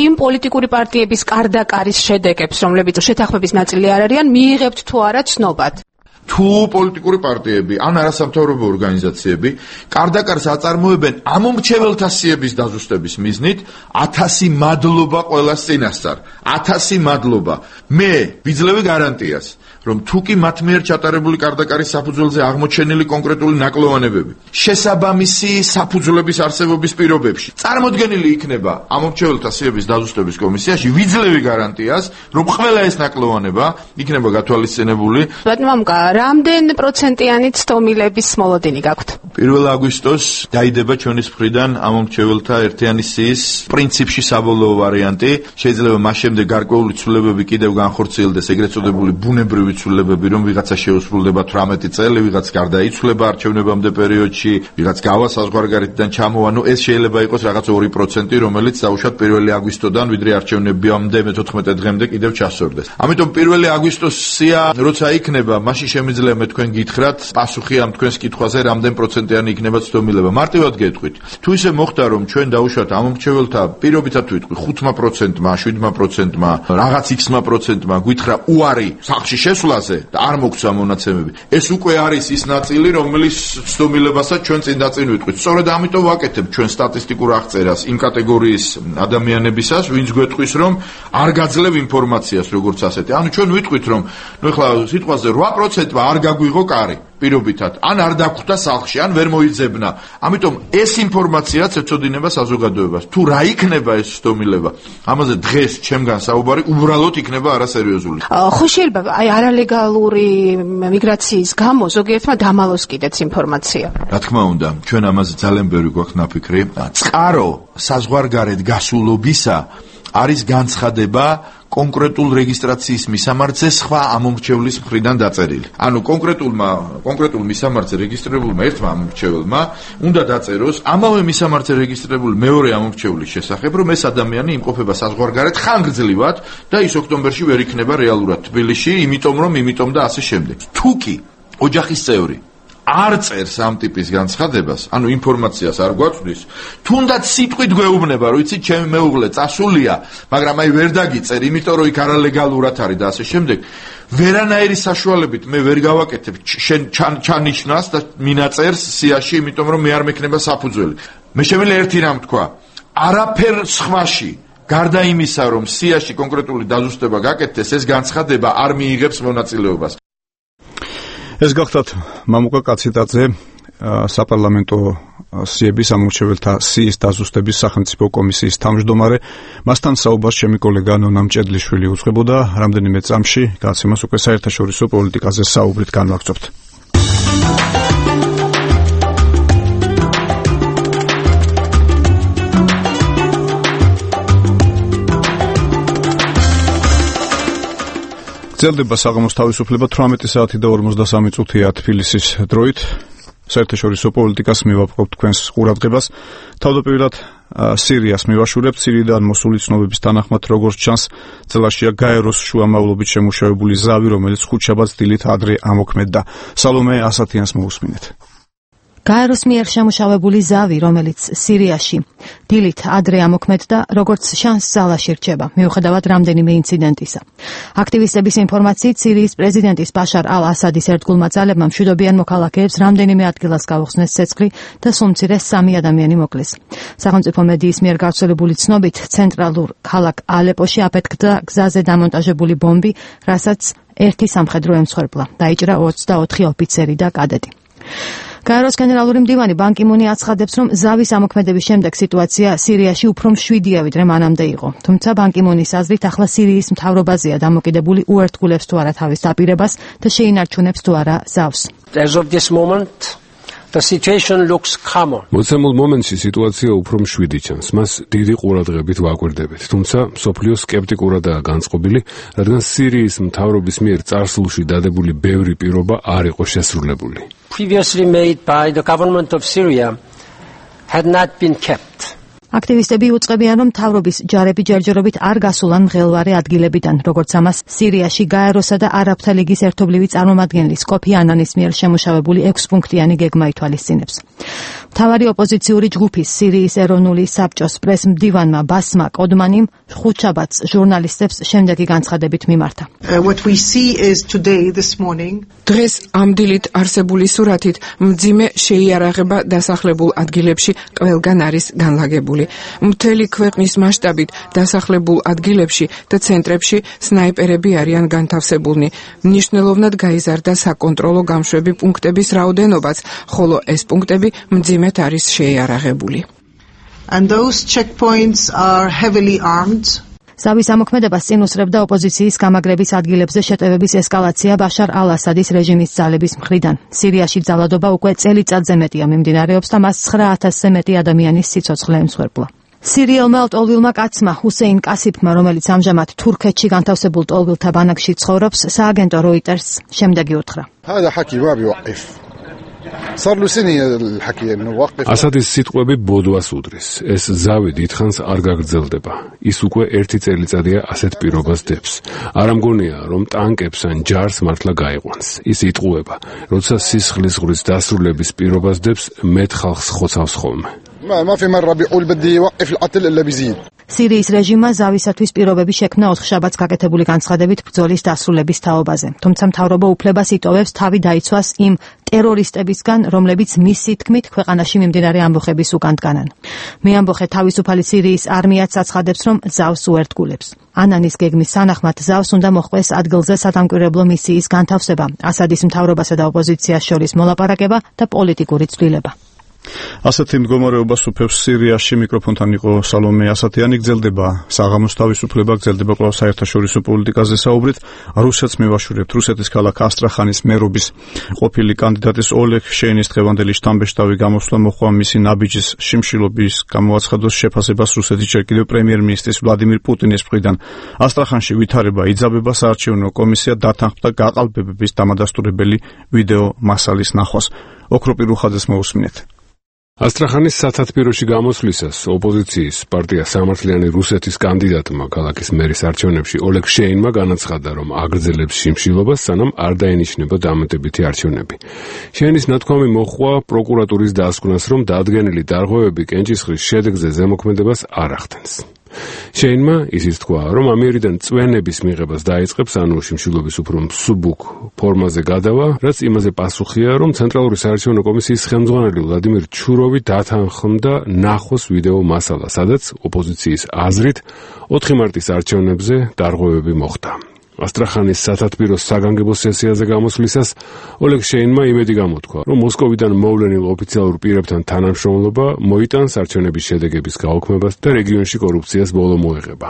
იმ პოლიტიკური პარტიების კარდაკარის შედეგებს, რომლებიც შეთანხმების ნაწილი არ არიან, მიიღებთ თუ არა ცნობად? თუ პოლიტიკური პარტიები ან არასამთავრობო ორგანიზაციები კარდაკარს აწარმოებენ ამომრჩეველთა სიების დაზუსტების მიზნით, ათასი მადლობა ყველას წინასწარ. ათასი მადლობა. მე ვიძლევი გარანტიას, რომ თუ კი მათ მიერ ჩატარებული კარდაკარის საფუძველზე აღმოჩენილი კონკრეტული ნაკლოვანებები შესაბამისი საფუძვლების არსებობის პირობებში წარმოდგენილი იქნება ამომრჩეველთა სიების დაზუსტების კომისიაში, ვიძლევი გარანტიას, რომ ყველა ეს ნაკლოვანება იქნება გათვალისწინებული. ბატონო, რამდენ პროცენტიანი ცდომილების მოლოდინი გაქვთ? პირველ აგვისტოს დაიდება ჩვენის მხრიდან ამომრჩეველთა ერთიანი სიის პრინციპში საბოლოო ვარიანტი. შეიძლება მას შემდეგ გარკვეული ცვლილებები კიდევ განხორციელდეს, ეგრეთ წოდებული ბუნებრივი ცვლილებები, რომ ვიღაცა შეუსრულდება თვრამეტი წელი, ვიღაც გარდაიცვლება არჩევნებამდე პერიოდში, ვიღაც გავა საზღვარგარეთიდან ჩამოვა, ნუ ეს შეიძლება იყოს რაღაც ორი პროცენტი, რომელიც დაუშვათ პირველი აგვისტოდან ვიდრე არჩევნებამდე მეთოთხმეტე დღემდე კიდევ ჩასწორდეს. ამიტომ პირველი აგვისტოს სია როცა იქნება, მაშინ შემიძლია მე თქვენ გითხრათ პასუხი ამ თქვენს კითხვაზე, რამდენ პროცენტიანი იქნება ცდომილება. მარტივად გეტყვით, თუ ისე მოხდა, რომ ჩვენ დაუშვათ ამომრჩეველთა პირობითად ვიტყვი ხუთმა პროცენტმა, შვიდმა პროცენტმა, რაღაც X-მა პროცენტმა გითხრა უარი სახლში შესვლაზე და არ მოგცა მონაცემები. ეს უკვე არის ის ნაწილი, რომელიც ცდომილებასაც ჩვენ წინ და წინ ვიტყვით. სწორედ ამიტომ ვაკეთებ ჩვენ სტატისტიკურ აღწერას იმ კატეგორიის ადამიანებისას, ვინც გვეტყვის, რომ არ გაძლევ ინფორმაციას როგორც ასეთი. ანუ ჩვენ ვიტყვით, რომ ნუ ეხლა სიტყვაზე რვა პროცენტმა არ გაგვიღო კარი. პირობითად, ან არ დაგხვდა სახლში, ან ვერ მოიძებნა. ამიტომ ეს ინფორმაციაც ეწოდინება საზოგადოებას. თუ რა იქნება ეს ცდომილება, ამაზე დღეს ჩემგან საუბარი უბრალოდ იქნება არასერიოზული. ხო შეიძლება აი არალეგალური მიგრაციის გამო ზოგიერთმა დამალოს კიდეც ინფორმაცია. რა თქმა უნდა, ჩვენ ამაზე ძალიან ბევრი გვაქვს ნაფიქრი. წყარო საზღვარგარეთ გასულობისა არის განცხადება კონკრეტულ რეგისტრაციის მისამართზე სხვა ამომრჩევლის მხრიდან დაწერილი. ანუ კონკრეტულმა კონკრეტულ მისამართზე რეგისტრირებულმა ერთმა ამომრჩეველმა უნდა დაწეროს ამავე მისამართზე რეგისტრირებული მეორე ამომრჩევლის შესახებ, რომ ეს ადამიანი იმყოფება საზღვარგარეთ ხანგრძლივად და ის ოქტომბერში ვერ იქნება რეალურად თბილისში, იმიტომ რომ იმიტომ და ასე შემდეგ. თუ კი ოჯახის წევრი არ წერს ამ ტიპის განცხადებას, ანუ ინფორმაციას არ გვაწვდის, თუნდაც სიტყვით გვეუბნება, რომ იცი ჩემი მეუღლე წასულია, მაგრამ აი ვერ დაგიწერ, იმიტომ რომ იქ არალეგალურად არის და ასე შემდეგ. ვერანაირი საშუალებით მე ვერ გავაკეთებ შენ ჩანიშნას და მინაწერს სიაში, იმიტომ რომ მე არ მექნება საფუძველი. მე შემიძლია ერთი რამ თქვა, არაფერ სხვაში გარდა იმისა, რომ სიაში კონკრეტული დაზუსტება გაკეთდეს, ეს განცხადება არ მიიღებს მონაწილეობას. ეს გახლავთ მამუკა კაციტაძე, საპარლამენტო სიების ამორჩეველთა სიის დაზუსტების სახელმწიფო კომისიის თავმჯდომარე. მასთან საუბარს ჩემი კოლეგა ნონა მჭედლიშვილი უძღვებოდა. რამდენიმე წამში გადაცემას უკვე საერთაშორისო პოლიტიკაზე საუბრით განვაგრძობთ. გრძელდება საღამოს თავისუფლება თვრამეტი საათი და ორმოცდასამი წუთია თბილისის დროით. საერთაშორისო პოლიტიკას მივაპყრობთ თქვენს ყურადღებას. თავდაპირველად სირიას მივაშურებთ. სირიიდან მოსული ცნობების თანახმად, როგორც ჩანს, წელაშია გაეროს შუამავლობით შემუშავებული ზავი, რომელიც ხუთშაბათს დილით ადრე ამოქმედდა. სალომე ასათიანს მოусმინეთ. გაეროს მიერ შემუშავებული ზავი, რომელიც სირიაში დილით ადრე ამოქმედდა, როგორც შანს ზალაში რჩება, მიუხედავად რამდენიმე ინციდენტისა. აქტივისტების ინფორმაციით, სირიის პრეზიდენტის ბაშარ ალ-ასადის ერთგულმა ძალებმა მშვიდობიან მოქალაქეებს რამდენიმე ადგილას გაუხსნეს ცეცხლი და სულ-მცირე სამი ადამიანი მოკლეს. სახელმწიფო მედიის მიერ გავრცელებული ცნობით, ცენტრალურ ქალაქ ალეპოში აფეთქდა გზაზე დამონტაჟებული ბომბი, რასაც ერთი სამხედრო ემსხვერპლა. დაიჭრა ოცდაოთხი ოფიცერი და კადეტი. გაეროს გენერალური მდივანი ბან კი მუნი აცხადებს, რომ ზავის ამოქმედების შემდეგ სიტუაცია სირიაში უფრო მშვიდია, ვიდრე მანამდე იყო. თუმცა ბან კი მუნის აზრით, ახლა სირიის მთავრობაზეა დამოკიდებული უერთგულებს თუ არა თავის დაპირებას და შეინარჩუნებს თუ არა ზავს. As of this moment, the situation looks calmer. მოცემულ მომენტში სიტუაცია უფრო მშვიდი ჩანს. მას დიდი ყურადღებით ვაკვირდებით. თუმცა მსოფლიო სკეპტიკურადაა განწყობილი, რადგან სირიის მთავრობის მიერ წარსულში დადებული ბევრი პირობა არ იყო შესრულებული. Previously made by the government of Syria had not been kept. აქტივისტები უწყებიან, რომ მთავრობის ჯარები ჯერჯერობით არ გასულან მღელვარე ადგილებიდან, როგორც ამას სირიაში გაეროსა და არაბთა ლიგის ერთობლივი წარმომადგენლის კოფი ანანის მიერ შემუშავებული ექვსპუნქტიანი გეგმა ითვალისწინებს. მთავარი ოპოზიციური ჯგუფის სირიის ეროვნული საბჭოს პრესმდივანმა ბასმა კოდმანიმ ხუთშაბათს ჟურნალისტებს შემდეგი განცხადებით მიმართა. What we see is today this morning დღეს ამ დილით არსებული სურათით მძიმე შეიარაღება დასახლებულ ადგილებში ყველგან არის განლაგებული. მთელი ქვეყნის მასშტაბით დასახლებულ ადგილებში და ცენტრებში სნაიპერები არიან განთავსებულნი. მნიშვნელოვნად გაიზარდა საკონტროლო გამშვები პუნქტების რაოდენობაც, ხოლო ეს პუნქტები მძიმედ არის შეიარაღებული. And those checkpoints are heavily armed. ზავის ამოქმედებას წინ უსწრებდა ოპოზიციის გამაგრების ადგილებზე შეტევების ესკალაცია ბაშარ ალ-ასადის რეჟიმის ძალების მხრიდან. სირიაში ძალადობა უკვე წელიწადზე მეტია მიმდინარეობს და მას ცხრა ათასზე მეტი ადამიანის სიცოცხლე ემსხვერპლა. სირიელმა ტოლვილმა კაცმა ჰუსეინ კასიფმა, რომელიც ამჟამად თურქეთში განთავსებულ ტოლვილთა ბანაკში ცხოვრობს, სააგენტო როიტერს შემდეგი უთხრა. هذا حكي ما بيوقف. صار له سنه الحكي انه وقف. ასადის სიტყვები ბოდვას უდრის. ეს ზავი დიდხანს არ გაგრძელდება. ის უკვე ერთი წელიწადია ასეთ პირობას დებს. არ ამგონია, რომ ტანკებს ან ჯარს მართლა გაიყვანს. ის იტყუება, როცა სისხლის ზღვრის დასრულების პირობას დებს, მეტ ხალხს ხოცავს ხოლმე. ما ما في مره بيقول بدي يوقف القتل الا بيزيد. სირიის რეჟიმმა ზავისათვის პირობები შექმნა ოთხშაბათს გაკეთებული განცხადებით ბრძოლის დასრულების თაობაზე. თუმცა მთავრობა უფლებას იტოვებს თავი დაიცვას იმ ტერორისტებისგან, რომლებიც მისი თქმით ქვეყანაში მიმდინარე ამბოხების უკან დგანან. მეამბოხე თავისუფალი სირიის არმიაც აცხადებს, რომ ზავს უერთგულებს. ანანის გეგმის სანახმად ზავს უნდა მოხდეს ადგილზე სადამკვირვებლო მისიის განთავსება, ასადის მთავრობასა და ოპოზიციას შორის მოლაპარაკება და პოლიტიკური ცვლილება. ასეთი მდგომარეობას უფევს სირიაში. მიკროფონთან იყო სალომე ასათიანი. გრძელდება საღამოს თავისუფლება, გრძელდება კვლავ საერთაშორისო პოლიტიკაზე საუბრით. რუსეთს მივაშურებთ. რუსეთის ქალაქ ასტრახანის მერობის ყოფილი კანდიდატის ოლეგ შეინის დღევანდელი შთამბეჭდავი გამოსვლა მოჰყვა მისი ნაბიჯის შიმშილობის გამოაცხადოს შეფასებას რუსეთის ჯერ კიდევ პრემიერ-მინისტრის ვლადიმირ პუტინის მხრიდან. ასტრახანში ვითარება იძაბება, საარჩევნო კომისია დათანხმდა გაყალბებების დამადასტურებელი ვიდეო მასალის ნახვას. ოქროპი რუხაძეს მოусმინეთ. ასტრახანის სათათბიროში გამოსვლისას ოპოზიციის პარტია სამართლიანი რუსეთის კანდიდატმა ქალაქის მერის არჩევნებში ოლეგ შეინმა განაცხადა, რომ აგრძელებს შიმშილობას, სანამ არ დაენიშნება დამატებითი არჩევნები. შეინის ნათქვამი მოჰყვა პროკურატურის დასკვნას, რომ დადგენილი დარღვევები კენჭისყრის შედეგზე ზემოქმედებას არ ახდენს. შეინმა ისიც თქვა, რომ ამიერიდან წვენების მიღებას დაიწყებს, ანუ შიმშილობის უფრო მსუბუქ ფორმაზე გადავა, რაც იმაზე პასუხია, რომ ცენტრალური საარჩევნო კომისიის ხელმძღვანელი ვლადიმირ ჩუროვი დათანხმდა ნახოს ვიდეო მასალა, სადაც ოპოზიციის აზრით ოთხი მარტის არჩევნებზე დარღვევები მოხდა. ასტრახანის სათათბირო საგანგებო სესიაზე გამოსვლისას ოლეგ შეინმა იმედი გამოთქვა, რომ მოსკოვიდან მოვლენილ ოფიციალურ პირებთან თანამშრომლობა მოიტანს არჩევნების შედეგების გაუქმებას და რეგიონში კორუფციას ბოლო მოეღება.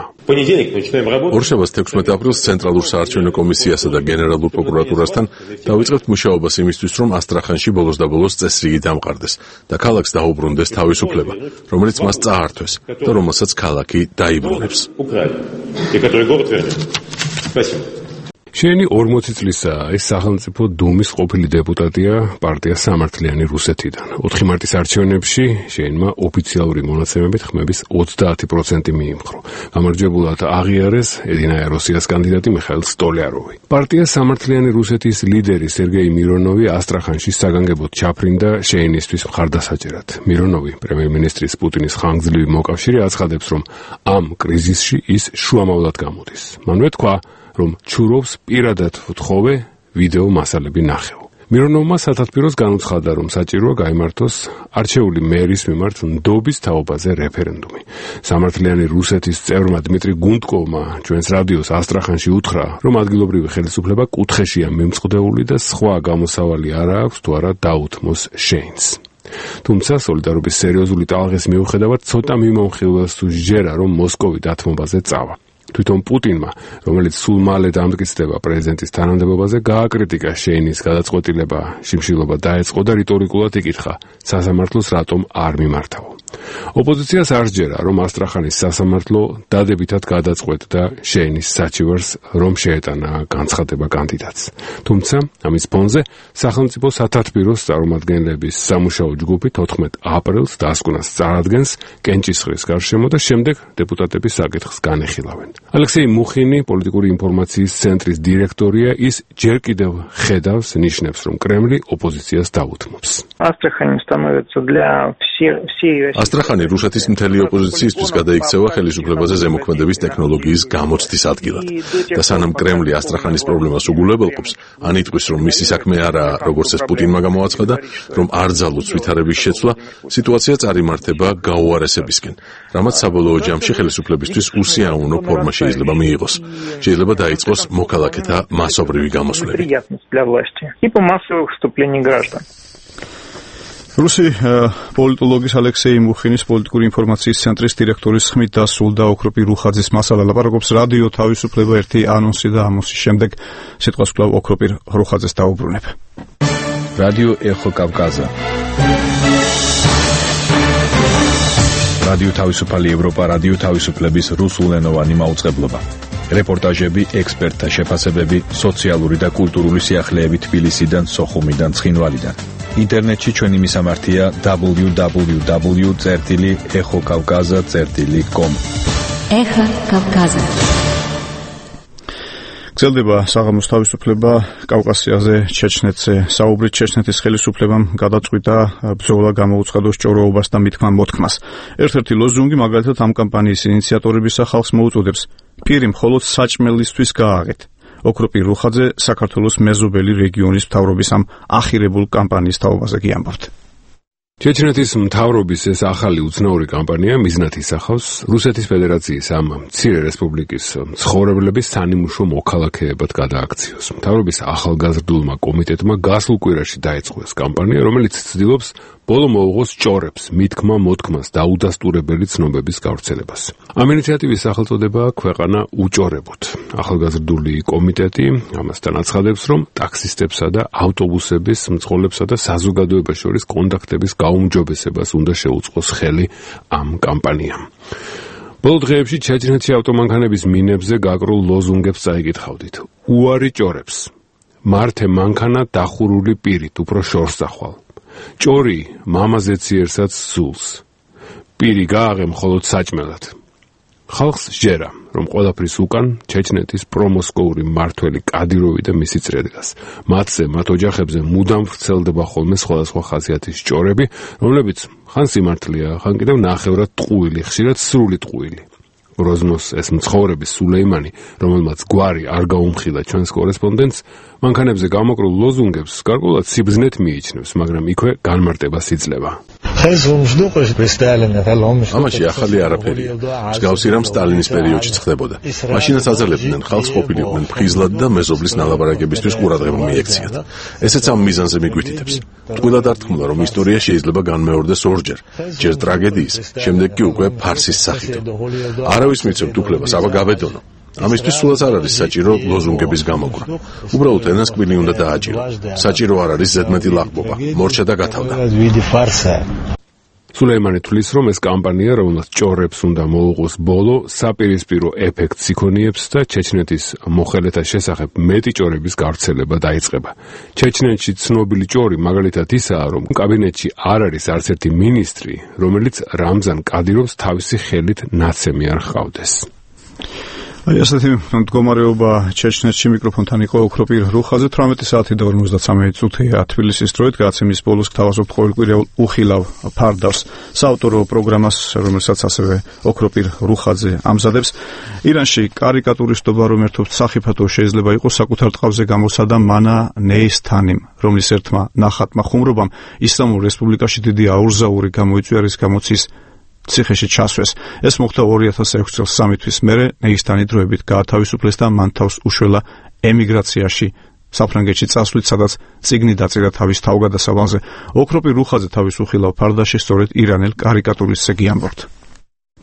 ორშაბათს თექვსმეტ აპრილს ცენტრალურ საარჩევნო კომისიასა და გენერალურ პროკურატურასთან დავიწყებთ მუშაობას იმისთვის, რომ ასტრახანში ბოლოს და ბოლოს წესრიგი დამყარდეს და ქალაქს დაუბრუნდეს თავისუფლება, რომელიც მას წაართვეს და რომელსაც ქალაქი დაიბრუნებს. შეინი ორმოცი წლისაა, ის სახელმწიფო დუმის ყოფილი დეპუტატია პარტია სამართლიანი რუსეთიდან. ოთხი მარტის არჩევნებში შეინმა ოფიციალური მონაცემებით ხმების ოცდაათი პროცენტი მიიმხრო. გამარჯვებულად აღიარეს ედინაია როსიას კანდიდატი მიხაილ სტოლიაროვი. პარტია სამართლიანი რუსეთის ლიდერი სერგეი მირონოვი ასტრახანში საგანგებოდ ჩაფრინდა შეინისთვის მხარდასაჭერად. მირონოვი პრემიერ-მინისტრის პუტინის ხანგრძლივი მოკავშირე აცხადებს, რომ ამ კრიზისში ის შუამავლად გამოდის. მანვე თქვა, რომ ჩუროვს პირადად ვთხოვე ვიდეო მასალები ნახეო. მირონოვმა სათათბიროს განუცხადა, რომ საჭიროა გაიმართოს არჩეული მერის მიმართ ნდობის თაობაზე რეფერენდუმი. სამართლიანი რუსეთის წევრმა დმიტრი გუნდკოვმა ჩვენს რადიოს ასტრახანში უთხრა, რომ ადგილობრივი ხელისუფლება კუთხეშია მიმწყდეული და სხვა გამოსავალი არ აქვს თუ არა დაუთმოს შეინს. თუმცა სოლიდარობის სერიოზული ტალღის მიუხედავად ცოტა მიმომხილველს თუ სჯერა, რომ მოსკოვი დათმობაზე წავა. თვითონ პუტინმა, რომელიც სულ მალე დამტკიცდება პრეზიდენტის თანამდებობაზე, გააკრიტიკა შეინის გადაწყვეტილება, შიმშილობა დაეწყო და რიტორიკულად იკითხა, სასამართლოს რატომ არ მიმართავო. ოპოზიციას არ სჯერა, რომ ასტრახანის სასამართლო დადებითად გადაწყვეტდა შეინის საჩივარს, რომ შეეტანა განცხადება კანდიდატს. თუმცა, ამის ფონზე სახელმწიფო სათათბიროს წარმომადგენლების სამუშაო ჯგუფი თოთხმეტ აპრილს დასკვნას წარადგენს კენჭისყრის გარშემო და შემდეგ დეპუტატების საკითხს განეხილავენ. ალექსეი მუხინი, პოლიტიკური ინფორმაციის ცენტრის დირექტორია, ის ჯერ კიდევ ხედავს, ნიშნებს, რომ კრემლი ოპოზიციას დაუთმობს. ასტრახანი რუსეთის მთელი ოპოზიციისთვის გადაიქცევა ხელისუფლებაზე ზემოქმედების ტექნოლოგიის გამოცდის ადგილად და სანამ კრემლი ასტრახანის პრობლემას უგულებელყოფს, ან იტყვის, რომ მისი საქმე არაა, როგორც ეს პუტინმა გამოაცხადა, რომ არ ძალუძს ვითარების შეცვლა, სიტუაცია წარიმართება გაუარესებისკენ, რამაც საბოლოო ჯამში ხელისუფლებისთვის უსიამოვნო ფორმა შეიძლება მიიღოს. შეიძლება დაიწყოს მოქალაქეთა მასობრივი გამოსვლები. რუსი პოლიტოლოგის ალექსეი მუხინის პოლიტიკური ინფორმაციის ცენტრის დირექტორის ხმით დასრულდა ოქროპი რუხაძის მასალა. ლაპარაკობს რადიო თავისუფლება ერთი ანონსი და ამოსის შემდეგ სიტყვას კვლავ ოქროპი რუხაძეს დაუბრუნებ. რადიო ეხო კავკაზა. რადიო თავისუფალი ევროპა, რადიო თავისუფლების რუსულენოვანი მაუწყებლობა. რეპორტაჟები, ექსპერტთა შეფასებები, სოციალური და კულტურული სიახლეები თბილისიდან, სოხუმიდან, ცხინვალიდან. ინტერნეტში ჩვენი მისამართია დაბლიუ დაბლიუ დაბლიუ წერტილი ეხო კავკაზა წერტილი კომ. ეხა კავკაზა. გრძელდება საღამოს თავისუფლება კავკასიაზე, ჩეჩნეთზე. საუბრით ჩეჩნეთის ხელისუფლებამ გადაწყვიტა ბრძოლა გამოუცხადოს ჭოროობას და მითქმა მოთქმას. ერთ-ერთი ლოზუნგი მაგალითად ამ კამპანიის ინიციატორებისა ხალხს მოუწოდებს პირი მხოლოდ საჭმელისთვის გააღეთ. ოქროპი რუხაძე საქართველოს მეზობელი რეგიონის მთავრობის ამ ახირებულ კამპანიის თაობაზე კი ამბობთ. ჩეჩნეთის მთავრობის ეს ახალი უცნაური კამპანია მიზნად ისახავს რუსეთის ფედერაციის ამ მცირე რესპუბლიკის მცხოვრებლების სანიმუშო მოქალაქეებად გადააქციოს. მთავრობის ახალგაზრდულმა კომიტეტმა გასულ კვირაში დაიწყო ეს კამპანია, რომელიც ცდილობს ბოლო მოუღოს ჭორებს, მითქმა მოთქმას და უდასტურებელი ცნობების გავრცელებას. ამ ინიციატივის სახელწოდებაა ქვეყანა უჭორებოთ. ახალგაზრდული კომიტეტი ამასთან აცხადებს, რომ ტაქსისტებსა და ავტობუსების მძღოლებსა და საზოგადოებას შორის კონტაქტების გაუმჯობესებას უნდა შეუწყოს ხელი ამ კამპანიამ. ბოლო დღეებში ჩეჩნეთში ავტომანქანების მინებზე გაკრულ ლოზუნგებს წაიკითხავდით. უარი ჭორებს. მართე მანქანა დახურული პირით, უფრო შორს ახვალ. ჭორი მამაზე ციერსაც სულს. პირი გააღე მხოლოდ საჭმელად. ხალხს სჯერა, რომ ყველაფრის უკან ჩეჩნეთის პრომოსკოვური მმართველი კადიროვი და მისი წრედგას. მათზე, მათ ოჯახებზე მუდამ ვრცელდება ხოლმე სხვადასხვა ხასიათის ჭორები, რომლებიც ხან სიმართლეა, ხან კიდევ ნახევრად ტყუილი, ხშირად სრული ტყუილი. გროზნოს ეს მცხოვრები სულეიმანი, რომელმაც გვარი არ გაუმხილა ჩვენს კორესპონდენტს, მანქანებზე გამოკრულ ლოზუნგებს გარკვეულად სიბრძნეთ მიიჩნევს, მაგრამ იქვე განმარტებას იძლევა. ამაში ახალი არაფერია. მსგავსი რამ სტალინის პერიოდში ხდებოდა. მაშინაც აძლებდნენ ხალხს ყოფილიყვნენ ფხიზლად და მეზობლის ნალაპარაკებისთვის ყურადღება მიექციათ. ესეც ამ მიზანზე მიგვითითებს. ყველა დარწმუნა, რომ ისტორია შეიძლება განმეორდეს ორჯერ, ჯერ ტრაგედიის, შემდეგ კი უკვე ფარსის სახით. არავის მიცემთ უფლებას, აბა გავედონო. ამისთვის სულაც არ არის საჭირო ლოზუნგების გამოკვრა. უბრალოდ ენასკვილი უნდა დააჭირო. საჭირო არ არის ზედმეტი ლაღბობა, მორჩა და გათავდა. სულეიმანი თვლის, რომ ეს კამპანია, რომელსაც ჭორებს უნდა მოუყოს ბოლო, საპირისპირო ეფექტს იქონიებს და ჩეჩნეთის მოხელეთა შესახებ მეტი ჭორების გავრცელება დაიწყება. ჩეჩნეთში ცნობილი ჭორი მაგალითად ისაა, რომ კაბინეტში არ არის არც ერთი მინისტრი, რომელიც რამზან კადიროვს თავისი ხელით ნაცემი არ ჰყავდეს. აი ასეთი მდგომარეობა ჩეჩნეთში. მიკროფონთან იყო ოქროპირ რუხაძე. თვრამეტი საათი და ორმოცდათრამეტი წუთია თბილისის დროით. გადაცემის ბოლოს გთავაზობთ ყოველკვირეულ უხილავ ფარდავს საავტორო პროგრამას, რომელსაც ასევე ოქროპირ რუხაძე ამზადებს. ირანში კარიკატურისტობა, რომ ერთობთ სახიფათო შეიძლება იყოს, საკუთარ ტყავზე გამოსადა მანა ნეისთანიმ, რომლის ერთმა ნახატმა ხუმრობამ ისლამურ რესპუბლიკაში დიდი აურზაური გამოიწვია, რის გამოც ის ციხეში ჩასვეს. ეს მოხდა ორი ათას ექვსი წელს სამი თვის მერე ნეისთანი დროებით გაათავისუფლეს და მან თავს უშველა ემიგრაციაში საფრანგეთში წასვლით, სადაც წიგნი დაწერა თავის თავგადასავალზე. ოქროპირ რუხაძე თავის უხილავ ფარდაში სწორედ ირანელ კარიკატურისტზე გიამბობთ.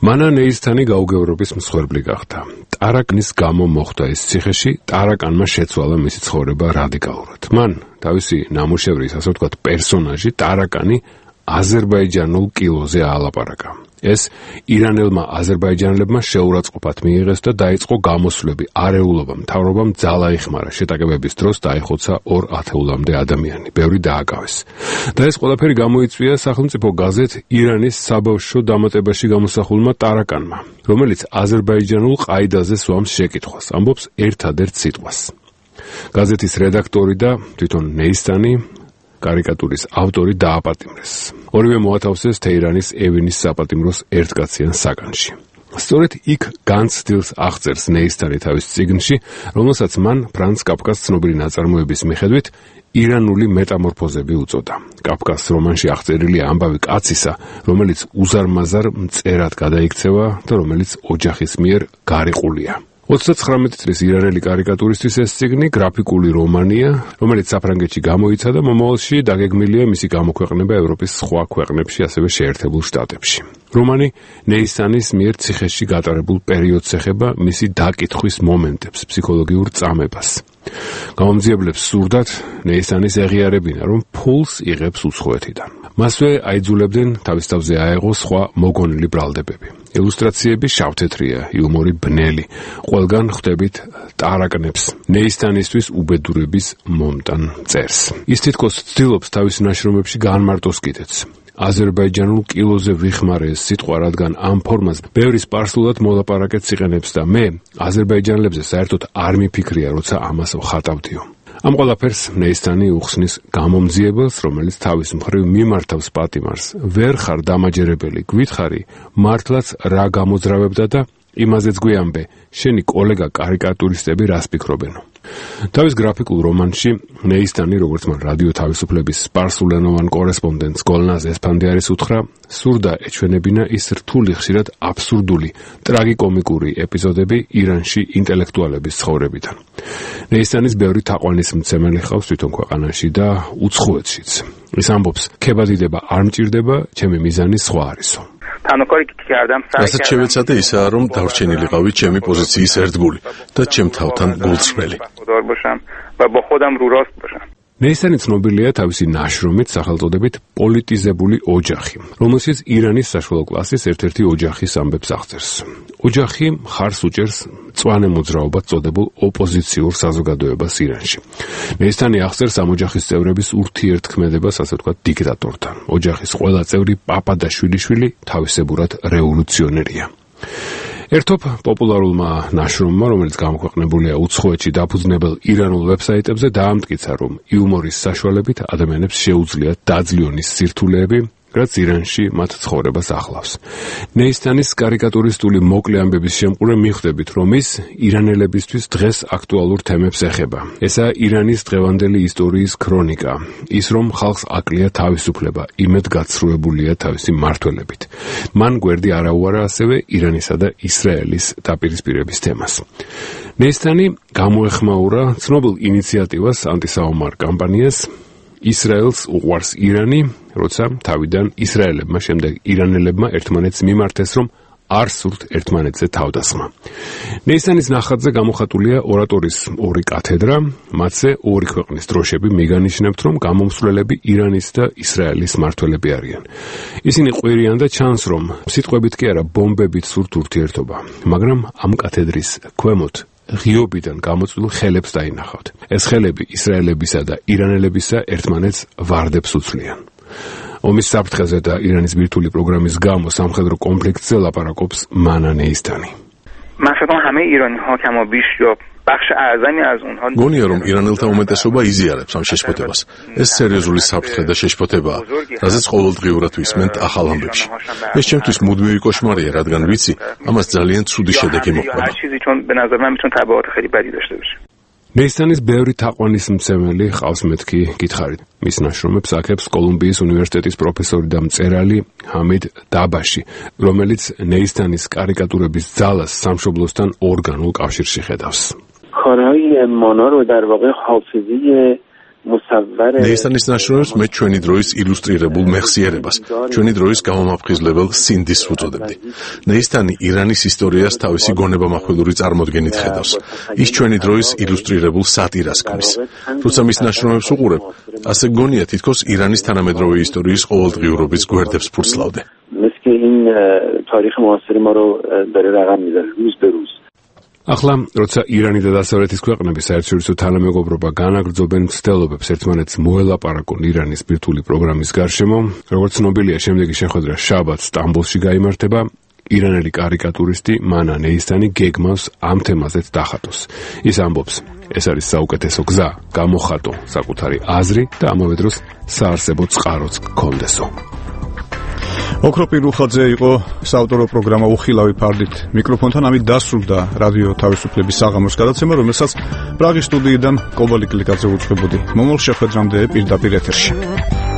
მანა ნეისთანი გაუგევრობის მსხვერპლი გახდა. ტარაკნის გამო მოხდა ეს ციხეში, ტარაკანმა შეცვალა მისი ცხოვრება რადიკალურად. მან თავისი ნამუშევრის, ასე ვთქვათ, პერსონაჟი ტარაკანი აზერბაიჯანულ კილოზე აალაპარაკა. ეს ირანელმა აზერბაიჯანელებმა შეურაცხყოფად მიიღეს და დაიწყო გამოსვლები, არეულობა, მთავრობამ ძალა იხმარა. შეტაკებების დროს დაიხოცა ორ ათეულამდე ადამიანი, ბევრი დააკავეს. და ეს ყველაფერი გამოიწვია სახელმწიფო გაზეთ ირანის საბავშვო დამატებაში გამოსახულმა ტარაკანმა, რომელიც აზერბაიჯანულ ყაიდაზე სვამს შეკითხვას, ამბობს ერთადერთ სიტყვას. გაზეთის რედაქტორი და თვითონ ნეისთანი კარიკატურის ავტორი დააპატიმრეს. ორივე მოათავსეს თეირანის ევინის საპატიმროს ერთკაციან საგანში. სწორედ იქ განცდილს აღწერს ნეისთანი თავის წიგნში, რომელსაც მან ფრანც კაფკას ცნობილი ნაწარმოების მიხედვით ირანული მეტამორფოზები უწოდა. კაფკას რომანში აღწერილია ამბავი კაცისა, რომელიც უზარმაზარ მწერად გადაიქცევა და რომელიც ოჯახის მიერ გარიყულია. ოცდათხრამეტი წლის ირანელი კარიკატურისტის ეს წიგნი გრაფიკული რომანია, რომელიც საფრანგეთში გამოიცა და მომავალში დაგეგმილია მისი გამოქვეყნება ევროპის სხვა ქვეყნებში, ასევე შეერთებულ შტატებში. რომანი ნეისთანის მიერ ციხეში გატარებულ პერიოდს ეხება, მისი დაკითხვის მომენტებს, ფსიქოლოგიურ წამებას. გამომძიებლებს სურდათ ნეისთანის ეღიარებინა, რომ ფულს იღებს უცხოეთიდან. მასვე აიძულებდნენ თავის თავზე აეღო სხვა მოგონილი ბრალდებები. ილუსტრაციები შავთეთრია, იუმორი ბნელი, ყველგან ხვდებით ტარაკნებს, ნეისთანისთვის უბედურების მომტან წერს. ის თითქოს ცდილობს თავის ნაშრომებში განმარტოს კიდეც. აზერბაიჯანულ კილოზე ვიხმარე ეს სიტყვა, რადგან ამ ფორმას ბევრი სპარსულად მოლაპარაკეთს იყენებს და მე აზერბაიჯანელებზე საერთოდ არ მიფიქრია, როცა ამას ვხატავდიო. ამ ყველაფერს ნეისთანი უხსნის გამომძიებელს, რომელიც თავის მხრივ მიმართავს პატიმარს. ვერ ხარ დამაჯერებელი, გვითხრი, მართლაც რა გამოძრავებდა და იმაზეც გვიამბე, შენი კოლეგა კარიკატურისტები რას ფიქრობენო. თავის გრაფიკულ რომანში ნეისთანი, როგორც მან რადიო თავისუფლების სპარსულენოვან კორესპონდენტს გოლნაზ ესფანდიარის უთხრა, სურდა ეჩვენებინა ის რთული, ხშირად აბსურდული, ტრაგიკომიკური ეპიზოდები ირანში ინტელექტუალების ცხოვრებიდან. ნეისთანის ბევრი თაყვანის მცემელი ხავს თვითონ ქვეყანაში და უცხოეთშიც. ის ამბობს, ქებადიდება არ მჭირდება, ჩემი მიზანი სხვა არისო. რასაც შევეცადე ისაა, რომ დავრჩენილიყავი ჩემი პოზიციის ერთგული და ჩემ თავთან გულწრფელი. ნეისთანი ცნობილია თავისი ნაშრომით სახელწოდებით პოლიტიზებული ოჯახი, რომელშიც ირანის საშუალო კლასის ერთ-ერთი ოჯახის ამბებს აღწერს. ოჯახი მხარს უჭერს მწვანე მოძრაობად წოდებულ ოპოზიციურ საზოგადოებას ირანში. ნეისთანი აღწერს ამ ოჯახის წევრების ურთიერთქმედებას, ასე ვთქვათ, დიქტატორთან. ოჯახის ყველა წევრი პაპა და შვილიშვილი თავისებურად რევოლუციონერია. ერთობ პოპულარულმა ნაშრომმა, რომელიც გამოქვეყნებულია უცხოეთში დაფუძნებელ ირანულ ვებსაიტებზე, დაამტკიცა, რომ იუმორის საშუალებით ადამიანებს შეუძლიათ დაძლიონის სირთულეები რაც ირანში მათ ცხოვრებას ახლავს. ნეისტანის კარიკატურისტული მოკლე ამბების შემყურე მიხვდებით, რომ ის ირანელებისთვის დღეს აქტუალურ თემებს ეხება. ესაა ირანის დღევანდელი ისტორიის ქრონიკა, ის რომ ხალხს აკლია თავისუფლება, იმედ გაცრუებულია თავისი მმართველებით. მან გვერდი არაუარა ასევე ირანისა და ისრაელის დაპირისპირების თემას. ნეისტანი გამოეხმაურა ცნობილ ინიციატივას, ანტისაომარ კამპანიას ისრაელს უყვარს ირანი, როცა თავიდან ისრაელებმა შემდეგ ირანელებმა ერთმანეთს მიმართეს, რომ არ სურთ ერთმანეთზე თავდასხმა. ნეისტანის ნახატზე გამოხატულია ორატორის ორი კათედრა, მათზე ორი ქვეყნის დროშები მიგანიშნებთ, რომ გამომსვლელები ირანის და ისრაელის მმართველები არიან. ისინი ყვირიან და ჩანს, რომ სიტყვებით კი არა, ბომბებით სურთ ურთიერთობა, მაგრამ ამ კათედრის ქვემოთ ღიობიდან გამოწვეულ ხელებს დაინახავთ. ეს ხელები ისრაელებისა და ირანელებისა ერთმანეთს ვარდებს უცვლიან. ომის საფრთხეზე და ირანის ბირთვული პროგრამის გამო სამხედრო კონფლიქტზე ლაპარაკობს მანა ნეისტანი. من فکر کنم همه ایرانی ها کما بیش یا بخش اعظمی از اونها გონია რომ ირანელთა უმეტესობა იზიარებს ამ შეშფოთებას. ეს სერიოზული საფრთხე და შეშფოთებაა, რაზეც ყოველდღიურად ვისმენთ ახალ ამბებში. ეს ჩემთვის მუდმივი კოშმარია, რადგან ვიცი, ამას ძალიან ცუდი შედეგი მოყვება. ნეისტანის ბევრი თაყვანისმცემელი ჰყავს მეთქი გითხარით. მის ნაშრომებს აქებს კოლუმბიის უნივერსიტეტის პროფესორი და მწერალი ჰამიდ დაბაში, რომელიც ნეისტანის კარიკატურების ძალას სამშობლოსთან ორგანულ კავშირში ხედავს. کارهای مانا رو در واقع حافظه مصور ნეისტანის ნაშრომებს მე ჩვენი დროის ილუსტრირებულ მეხსიერებას, ჩვენი დროის გამომაფხიზლებელ სინდის უწოდებდი. ნეისტანი ირანის ისტორიას თავისი გონებამახვილური წარმოდგენით ხედავს. ის ჩვენი დროის ილუსტრირებულ სატირას ქმნის. როცა მის ნაშრომებს უყურებ, ასე გონია თითქოს ირანის თანამედროვე ისტორიის ყოველდღიურობის გვერდებს ფურცლავდე. مثل که این تاریخ معاصر ما رو داره رقم میزنه روز به روز. ახლა, როცა ირანი და დასავლეთის ქვეყნები საერთაშორისო თანამეგობრობა განაგრძობენ მცდელობებს ერთმანეთს მოელაპარაკონ ირანის ბირთვული პროგრამის გარშემო, როგორც ცნობილია, შემდეგი შეხვედრა შაბათს სტამბოლში გაიმართება, ირანელი კარიკატურისტი მანა ნეისტანი გეგმავს ამ თემაზეც დახატოს. ის ამბობს, ეს არის საუკეთესო გზა, გამოხატო საკუთარი აზრი და ამავე დროს საარსებო წყაროც გქონდესო. ოქროპი რუხაძე იყო საავტორო პროგრამა უხილავი ფარდით. მიკროფონთან ამით დასრულდა რადიო თავისუფლების საღამოს გადაცემა, რომელსაც პრაღის სტუდიიდან კობალი კლიკაძე უწყებოდი. მომავალ შეხვედრამდე პირდაპირ ეთერში.